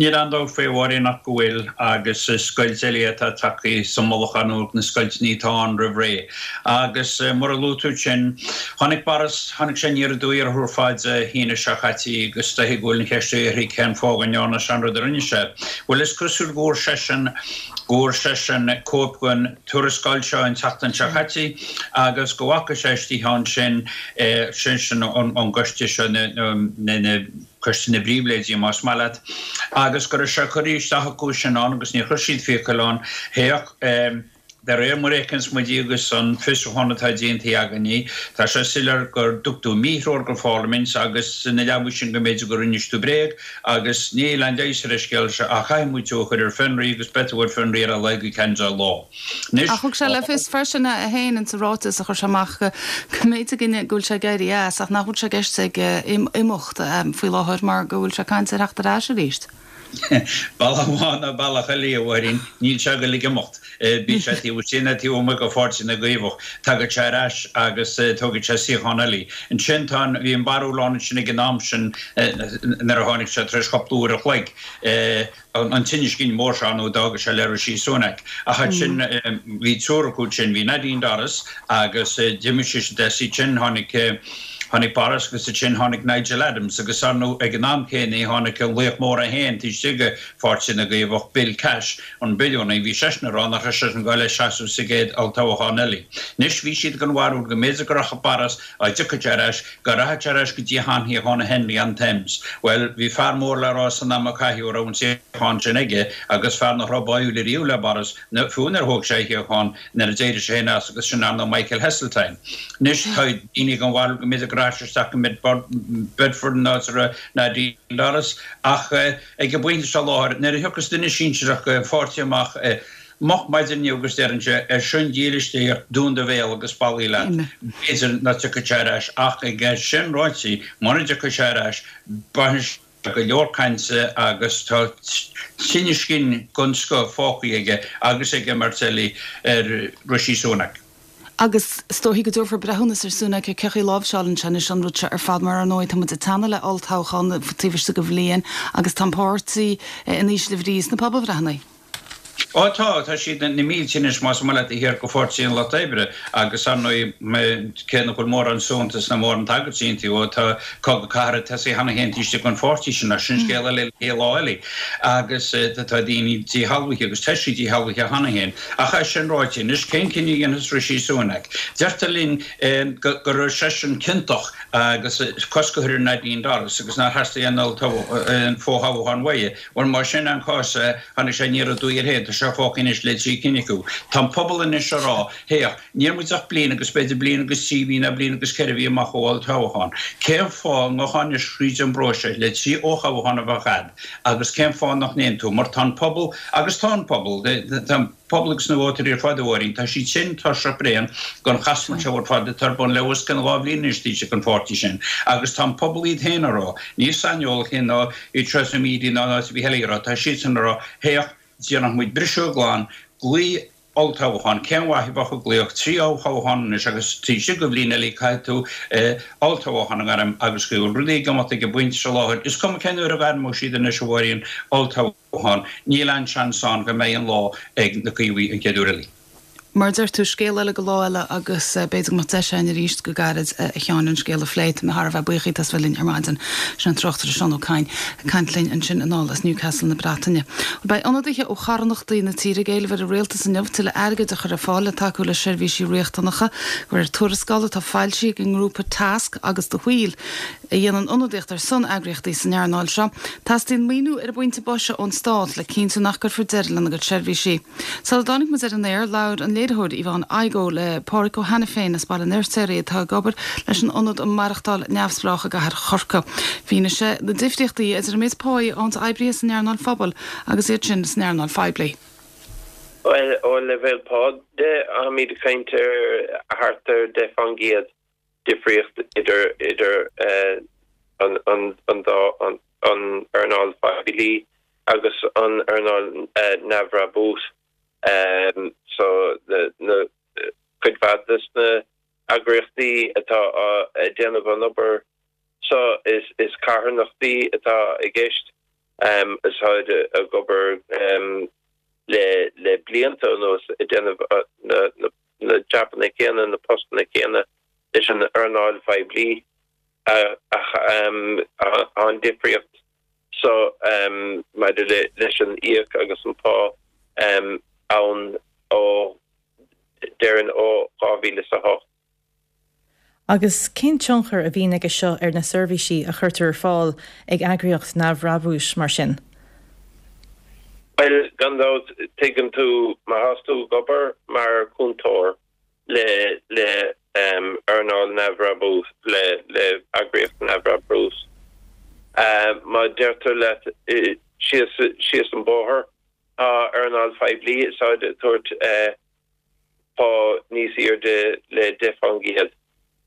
Níl aon dabht faoi a Mháirín ach go bhfuil agus is scoilt eile atá tagtha sa mullach ar na scoilteanna atá ann roimh ré. Agus mar a luaigh tú ansin, tháinig Boris, tháinig sé aniar aduaidh orthu ar fad Dé hAoine seo caite agus is dóiche go bhfuil an cheist uirthi cén fáth go ndearna sé an rud a rinne sé. Bhuel is cosúil go bhfuair seisean, go bhfuair seisean cóip den tuarascáil seo an tseachtain seo caite agus go bhfaca sé istigh ansin, sin sin an gcoiste seo na Coiste na bPribhléidí más maith leat, agus go raibh sé curtha isteach acu sin ann agus níor chuir siad fiacail ann. Théadh, de réir mar a fheiceanns muid í agus an fiosrúchán atá déanta againne, tá sé soiléir gur dtug tú míthreoir don Pharlaimint agus ina leabaidh sin go mb'fhéidir go rinnis tú bréag agus níl aon leigheas ar an scéal seo ach caithfidh muid tú a chur ar fionraí agus beidh tú ar fionraí ar a laghad go ceann deich lá. Anois. Ach thug sé le fios freisin é féin insa ráiteas a chuir sé amach go mb'fhéidir go bhfuil sé ag éirí as ach nach bhfuil sé i gceist aige imeacht faoi láthair mar go bhfuil sé ag caint ar theacht ar ais arís. Bealach amháin nó bealach eile, a Mháirín, níl sé ag goil ag imeacht. Bíodh sé taobh istigh nó taobh amuigh de Pháirtí na gCaomhach, tagaidh sé ar ais agus tógfaidh sé suíochán eile. Ansin tá an, bhí an barúil ann ansin ag an am sin nuair a tháinig sé tar éis cúpla uair a chloig, an tinneas cinn mór seo nó d'fhága sé le Rishi Sunak. Ach ansin bhí triúr acu ansin, bhí Nadine Dorries agus d'imigh sise de, ansin tháinig tháinig Boris agus ansin tháinig Nigel Adams agus ar ndóigh ag an am céanna tháinig an laoch mór é féin taobh istigh de Pháirtí na gCaomhach, Bill Cash, an billiúnaí, bhí seisean ag rá nach raibh seisean ag goil ag seasamh sa gcéad olltoghchán eile. Anois bhí siad den bharúil go mb'fhéidir go rachadh Boris dá dtiocfadh sé ar ais, go rachadh sé ar ais go dtí a sheanshuíochán i Henley-on-Thames. Bhuel, bhí fear mór le rá san am a caitheadh a raibh an suíochán sin aige agus fear nach raibh báúil ariamh le Boris, fiú nuair a thóg sé a shuíochán, nuair a d'éirigh sé féin as agus sin ar ndóigh Michael Heseltine. Anois, tá daoine den bharúil go mb'fhéidir go rachadh sé isteach go Bedford an áit a raibh Nadine Dorries ach ag an bpointe seo láthair, nuair a thiocfas duine sinsearach den pháirtí amach, Moch maidin inniu agus deireann sé, ar son dílis Dé, dún do bhéal agus ballaí leat. B'fhéidir nach dtiocfaidh sé ar ais ach ag sin ráite, mura dtiocfaidh sé ar ais, bainfidh sé go leor cainte agus tá tinneas cinn den scoth fágtha aige agus ag an mbeirt eile ar Rishi Sunak. Agus is dóichí go dtabharfar breithiúnas ar Sunak ar cén chaoi a láimhseálann sé anois an rud seo ar fad mar ar ndóigh tá muid ag teannadh le olltoghchán taobh istigh de bhliain agus tá an páirtí in ísle brí sna pobalbhreitheanna. Ó tá, tá siad na mílte anois más maith leat thiar go Pháirtí an Lucht Oibre agus ar ndóigh cé nach bhfuil mórán suaitheantas ná mórán tagairtí iontu ó tá cogadh cathartha tosaithe cheana féin taobh istigh den pháirtí sin ach sin scéal eile le lá eile agus tá daoine díshealbhaithe agus tá siad díshealbhaithe cheana féin. Ach é sin ráite, anois cén cinneadh a dhéanfas Rishi Sunak? Deirtear linn go raibh seisean ciontach agus cosc a chur ar Nadine Dorries agus nár theastaigh aon fho-thoghchán uaidh. Bhuel, más sin an cás, tháinig sé aniar aduaidh air féin, tá sé fágtha anois le trí cinn acu. Tá an pobal anois á rá, Féach, níl muid ach bliain agus b'fhéidir bliain agus trí mhí nó bliain agus ceithre mhí amach ó olltoghchán. Cén fáth a ngabhfá anois thríd an bpróiseas le trí fhothoghchán a bheith agat agus cén fáth nach ndéanann tú? Mar tá an pobal, agus tá an pobal, tá an pobal agus na vótóirí ar fad, a Mháirín, tá siad sin tuirseach bréan den chasmairt seo ar fad atá ar bun le os cionn dhá bhliain anois taobh istigh den pháirtí sin. Agus tá an pobal iad féin á rá, ní saineolaithe ná iad seo sa media ná in áit ar bith eile á rá, tá siadsan á rá, féach, déanfaidh muid briseadh glan, glaoigh olltoghchán, cén mhaith a bheadh ag glaoch trí fhothoghchán anois agus taobh istigh de bhliain eile caithfidh tú olltoghchán a ghairm agus go bhfuil rudaí ag imeacht ag an bpointe seo láthair, is cuma cén uair a ghairmeoidh siad anois a Mháirín, olltoghchán, níl aon seans ann go mbeidh an lá ag na Caomhaigh an chéad uair eile. Mar a deir tú, scéal eile go lá eile agus b'fhéidir go mbeadh deis againn arís go gairid, a Sheáin, an scéal a phlé. Tá mé thar a bheith buíoch díot as bheith linn ar maidin. Sin an tráchtaire Seán Ó Cadhain ag caint linn ansin anall as Newcastle na Breataine. Bhuel, beidh ionadaithe ó charthanachtaí na tíre ag éileamh ar an rialtas inniu tuilleadh airgid a chur ar fáil le tacú le seirbhísí riachtanacha. De réir tuarascála atá foilsithe ag an ngrúpa Tasc agus The Wheel, a dhéanann ionadaíocht ar son eagraíochtaí san earnáil seo, teastaíonn maoiniú ar an bpointe boise ón stát le cinntiú nach gcuirfear deireadh lena gcuid seirbhísí. Sula dtáinig muid ar an aer, labhair an léiritheoir Yvonne Igoe le Páraic Ó hAiniféin as Baile an Fheirtéaraigh atá ag obair leis an Ionad um Maireachtáil Neamhspleách i gcathair Chorcaí. Mhínigh sé na difríochtaí idir an méid páí a fhaigheann oibrithe san earnáil phobail agus iad sin san earnáil phoiblí. Bhuel, ó leibhéal pá de, táimid ag caint ar thart ar deich faoin gcéad difríocht idir idir an an an dá an an earnáil phoiblí agus an earnáil neamhbhrabús. So na cuid mhaith des na eagraíochtaí atá ag déanamh an obair so is is carthanachtaí atá i gceist is táid ag obair le le blianta anuas ag déanamh na na jabanna céanna, na postanna céanna leis an earnáil phoiblí ach tá an difríocht so maidir leis an íoc agus an pá ann ó déarfainn ó dhá mhíle is a hocht. Agus cén tionchar a bhíonn aige seo ar na seirbhísí a chuirtear ar fáil ag eagraíocht neamhbhrabúis mar sin? Bhuel, gan dabht, tuigeann tú, má thás tú ag obair mar chúntóir le le earnáil neamhbhrabúis, le le eagraíocht neamhbhrabúis, má deirtear leat síos síos an bóthar, tá earnáil phoiblí is táid ag tabhairt pá níos airde le deich faoin gcéad.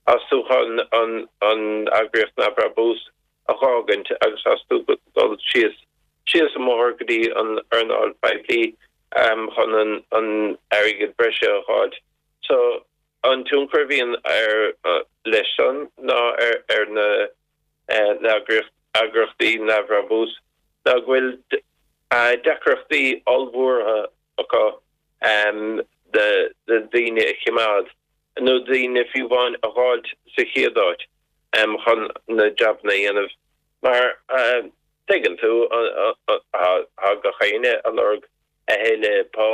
Tás tú chun an an eagraíocht neamhbhrabúis a dh'fhágaint agus tás tú dul síos síos an mbóthar go dtí an earnáil phoiblí chun an an airgead breise a dh'fháilt. So an tionchar a bhíonn ar leis san ná ar ar na na eagraíochtaí neamhbhrabúis ná go bhfuil deacrachtaí ollmhóra acu na daoine a choimeád, nó daoine fiú amháin a dh'fháilt sa chéad áit chun na jabanna a dhéanamh. Mar tuigeann tú, tá gach éinne ag lorg a thuilleadh pá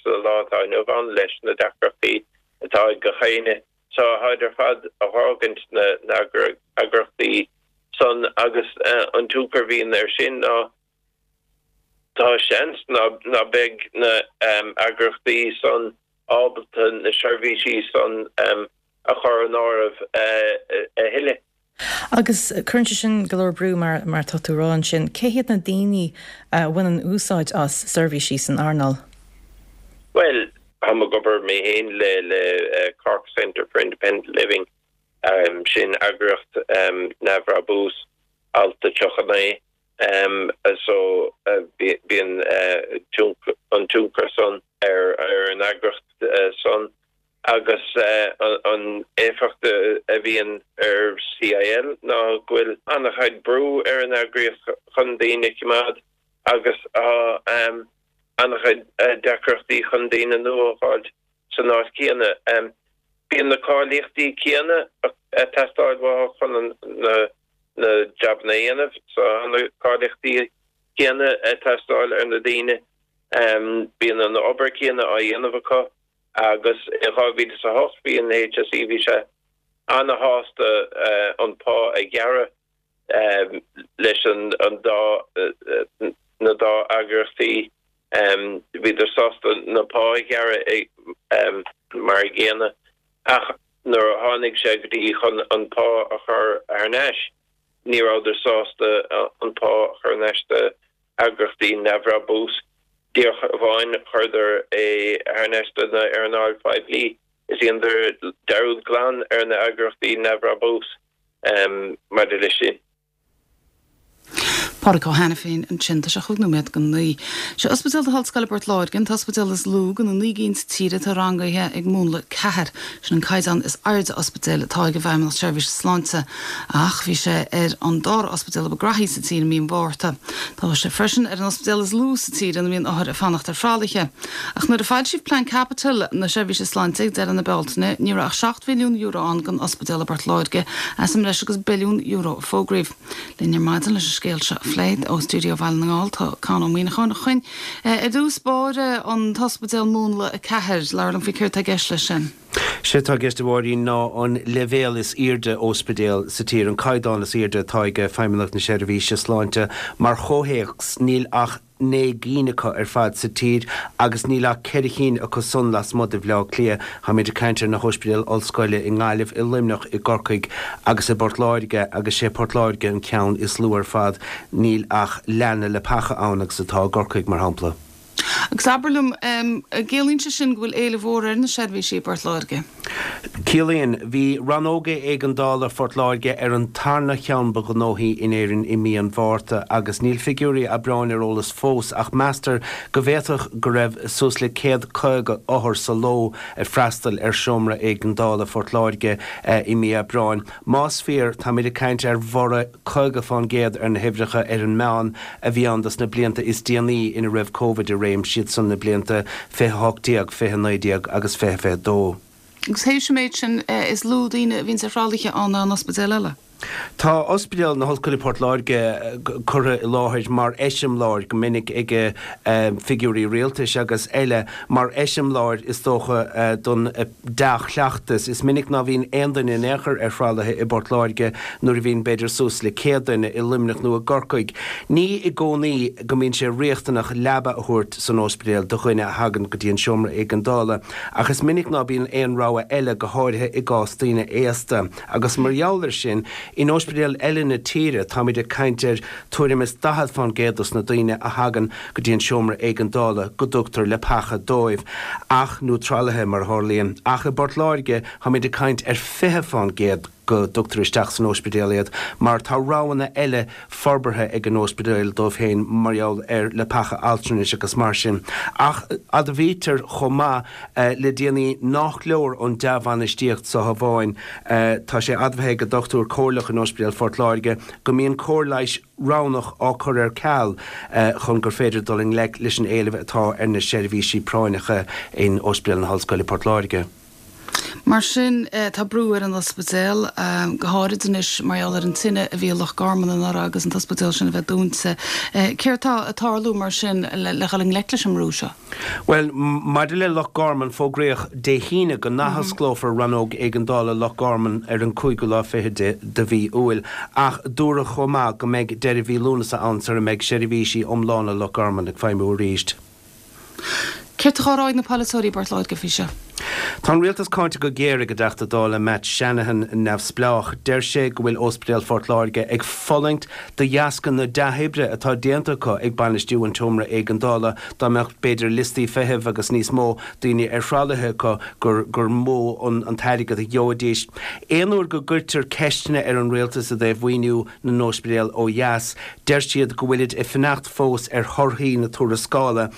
sa lá atá inniu ann leis na deacrachtaí atá ag gach éinne. So táid ar fad a dh'fhágaint na n-eagraíochtaí san agus an tionchar a bhíonn air sin ná tá seans ná beidh na heagraíochtaí san ábalta na seirbhísí san a chur in áireamh a thuilleadh. Agus cuireann sé sin go leor brú mar mar atá tú a rá ansin. Cé hiad na daoine a bhaineann úsáid as seirbhísí san earnáil? Bhuel, táim ag obair mé féin le le Cork Centre for Independent Living, sin eagraíocht neamhbhrabúis, alt a tríocha naoi, so bíonn an tionchar san ar an eagraíocht san. Agus an éifeacht a bhíonn ar C I L ná go bhfuil an-chuid brú ar an eagraíocht chun daoine a choimeád agus an-chuid deacrachtaí chun daoine nua a fháil san áit chéanna. Bíonn na cáilíochtaí céanna ag teastáil uathu chun na na jabanna a dhéanamh, so na cáilíochtaí céanna ag teastáil ar na daoine, bíonn an obair chéanna á dhéanamh acu. Agus in dhá mhíle is a hocht bhí an H S E, bhí sé ana-shásta an pá a ghearradh leis an an dá na dá eagraíochtaí, bhíodar sásta na pá a ghearradh mar a gcéanna, ach nuair a tháinig sé go dtí chun an pá a chur thar n-ais, ní rabhadar sásta an pá a chur thar n-ais do eagraíochtaí neamhbhrabús. Díreach amháin chuireadar é thar n-ais do na earnáil phoiblí. Is dheineadar dearúd glan ar na eagraíochtaí neamhbhrabús maidir leis sin. Pádraig Ó hAiniféin ansin. Tá sé chúig nóiméad go naoi. Sé Ospidéal na hOllscoile Port Láirge an t-ospidéal is lú de na naoi gcinn sa tír atá rangaithe ag múnla ceathair. Sin an caighdeán is airde ospidéal atá ag an bhFeidhmeannacht Seirbhíse Sláinte. Ach bhí sé ar an dara ospidéal ba ghraithí sa tír i mí an Mhárta. Tá sé freisin ar an ospidéal is lú sa tír ina mbíonn othair ag fanacht ar thralaithe. Ach nuair a foilsíodh Plean Caipitil na Seirbhíse Sláinte ag deireadh na Bealtaine, ní raibh ach seacht mhilliún euro ann don ospidéal i bPort Láirge as an mbreis agus billiún euro a fógraíodh. Linn ar maidin leis an scéal seo a phlé ó stiúideo Bhaile na nGall tá Conn Ó Muíneacháin. A Choinn, ar dtús báire, an t-ospidéal múnla a ceathair, labhair liom faoi céard atá i gceist leis sin. Sé atá i gceist, a Mháirín, ná an leibhéal is airde ospidéal sa tír, an caighdeán is airde atá ag Feidhmeannacht na Seirbhíse Sláinte. Mar chomhthéacs, níl ach naoi gcinn acu ar fad sa tír agus níl ach ceithre cinn acu san lasmuigh de Bhaile Átha Cliath. Táimid ag caint ar na hospidéil ollscoile i nGaillimh, i Luimneach, i gCorcaigh agus i bPort Láirge, agus sé Port Láirge an ceann is lú ar fad. Níl ach leath na leapacha ann agus atá i gCorcaigh, mar shampla. Agus abair liom, ciallaíonn sé sin go bhfuil éileamh mhór ar na seirbhísí i bPort Láirge? Ciallaíonn. Bhí rannóg éigeandála Phort Láirge ar an tarna cheann ba ghnóthaí in Éirinn i mí an Mhárta agus níl figiúirí Aibreáin ar eolas fós ach meastar go bhféadfadh go raibh suas le céad caoga othar sa ló ag freastal ar seomra éigeandála Phort Láirge i mí Aibreáin. Más fíor, táimid ag caint ar bhorradh caoga fán gcéad ar na huimhreacha ar an meán a bhí ann dos na blianta is déanaí ina raibh Covid i réim, siad san na blianta fiche hocht déag, fiche naoi déag agus fiche fiche dó. Agus théis an méid sin, is lú daoine a bhíonn ar thralaithe ann ná an ospidéal eile. Tá Ospidéal na hOllscoile Port Láirge curtha i láthair mar eiseamláir go minic ag figiúirí rialtais agus eile, mar eiseamláir is dócha don dea-chleachtas. Is minic ná bhíonn aon duine in aon chor ar thralaithe i bPort Láirge nuair a bhíonn b'fhéidir suas le céad duine i Luimneach nó i gCorcaigh. Ní i gcónaí go mbíonn sé riachtanach leaba a thabhairt san ospidéal do dhuine a thagann go dtí an seomra éigeandála, ach is minic ná bíonn aon rogha eile, go háirithe i gcás daoine aosta. Agus mar gheall air sin, in ospidéil eile na tíre táimid ag caint ar tuairim is daichead fán gcéad dos na daoine a thagann go dtí an seomra éigeandála go dtugtar leapacha dóibh, ach nó tralaithe mar a tharlaíonn. Ach i bPort Láirge táimid ag caint ar fiche fán gcéad go dtugtar isteach san ospidéal iad, mar tá roghanna eile forbartha ag an ospidéal dóibh féin mar gheall ar leapacha altranais agus mar sin. Ach admhaítear chomh maith le déanaí nach leor an dea-bhainistíocht seo amháin. Tá sé admhaithe ag dochtúir comhairleach in Ospidéal Phort Láirge go mbíonn cóir leighis roghnach á cur ar ceal chun gur féidir dul i ngleic leis an éileamh atá ar na seirbhísí práinneacha in Ospidéal na hOllscoile Port Láirge. Mar sin, tá brú ar an ospidéal, go háirid anois mar gheall ar an tine a bhí i Loch Garman anuraidh agus an t-ospidéal sin a bheith dúnta. Céard tá ag tarlú mar sin le dhul i ngleic leis an mbrú seo? Bhuel, maidir le Loch Garman, fógraíodh Dé hAoine go n-athosclófar rannóg éigeandála Loch Garman ar an cúigiú lá fiche de de mhí Iúil, ach dúradh chomh maith go mbeidh deireadh mhí Lúnasa ann sara mbeidh seirbhísí iomlána Loch Garman ag feidhmiú arís. Céard atá á rá ag na polaiteoirí i bPort Láirge faoi seo? Tá an rialtas cáinte go géar ag an dTeachta Dála Matt Shanahan, neamhspleách. Deir sé go bhfuil Ospidéal Phort Láirge ag fulaingt de dheasca na dea-oibre atá déanta acu ag bainistiú an tseomra éigeandála. Dá mbeadh b'fhéidir liostaí feithimh agus níos mó daoine ar thralaithe acu gur gur mó an an t-airgead a gheobhaidís. Aon uair go gcuirtear ceisteanna ar an rialtas i dtaobh mhaoiniú na n-ospidéal ó dheas, deir siad go bhfuilid ag fanacht fós ar thorthaí na tuarascála,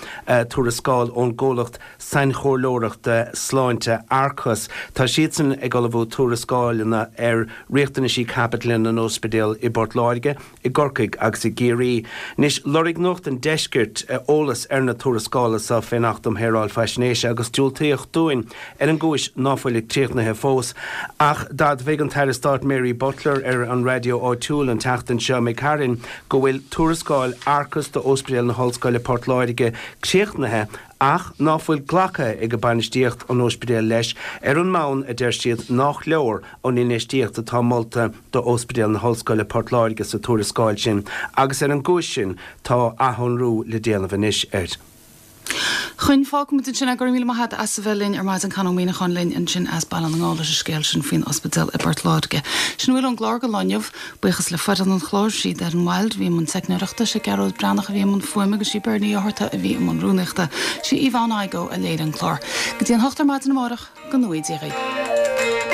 tuarascáil ón gcomhlacht sainchomhairleoireachta Sláinte. Sláinte, Arcus. Tá siadsan ag ullmhú tuarascáileanna ar riachtanaisí caipitil na n-ospidéal i bPort Láirge, i gCorcaigh agus i gCiarraí. Anois, lorg Nuacht an Deiscirt eolas ar na tuarascála seo fén Acht um Shaoráil Faisnéise agus diúltaíodh dúinn ar an gcúis ná fuilid críochnaithe fós. Ach d'admhaigh an tAire Stáit Mary Butler ar an raidió áitiúil an tseachtain seo imigh tharainn go bhfuil tuarascáil Arcus d'Ospidéal na hOllscoile Port Láirge críochnaithe ach ná fuil glactha ag bainistíocht an ospidéil leis ar an mbonn a deir siad nach leor an infheistíocht atá molta d'Ospidéal na hOllscoile Port Láirge sa tuarascáil sin agus ar an gcúis sin tá athshonrú le déanamh anois air. Chun fágfaimid ansin é go raibh míle maith agat as a bheith linn ar maidin Con Ó Muíneacháin linn ansin as Baile na nGall leis an scéal sin faoin ospidéal i bPort Láirge. Sin a bhfuil ón gclár don lá inniu. Buíochas le foireann an chláir, sí Darren Wilde a bhí i mbun teicneoireachta, sé Gearóid Breathnach a bhí i mbun fuaime agus sí Bernie Ó hEorta a bhí i mbun rúnaíochta. Sí Yvonne Igoe a léirigh an clár. Go dtí an hocht ar maidin amárach, go ngnóthaí Dia dhaoibh.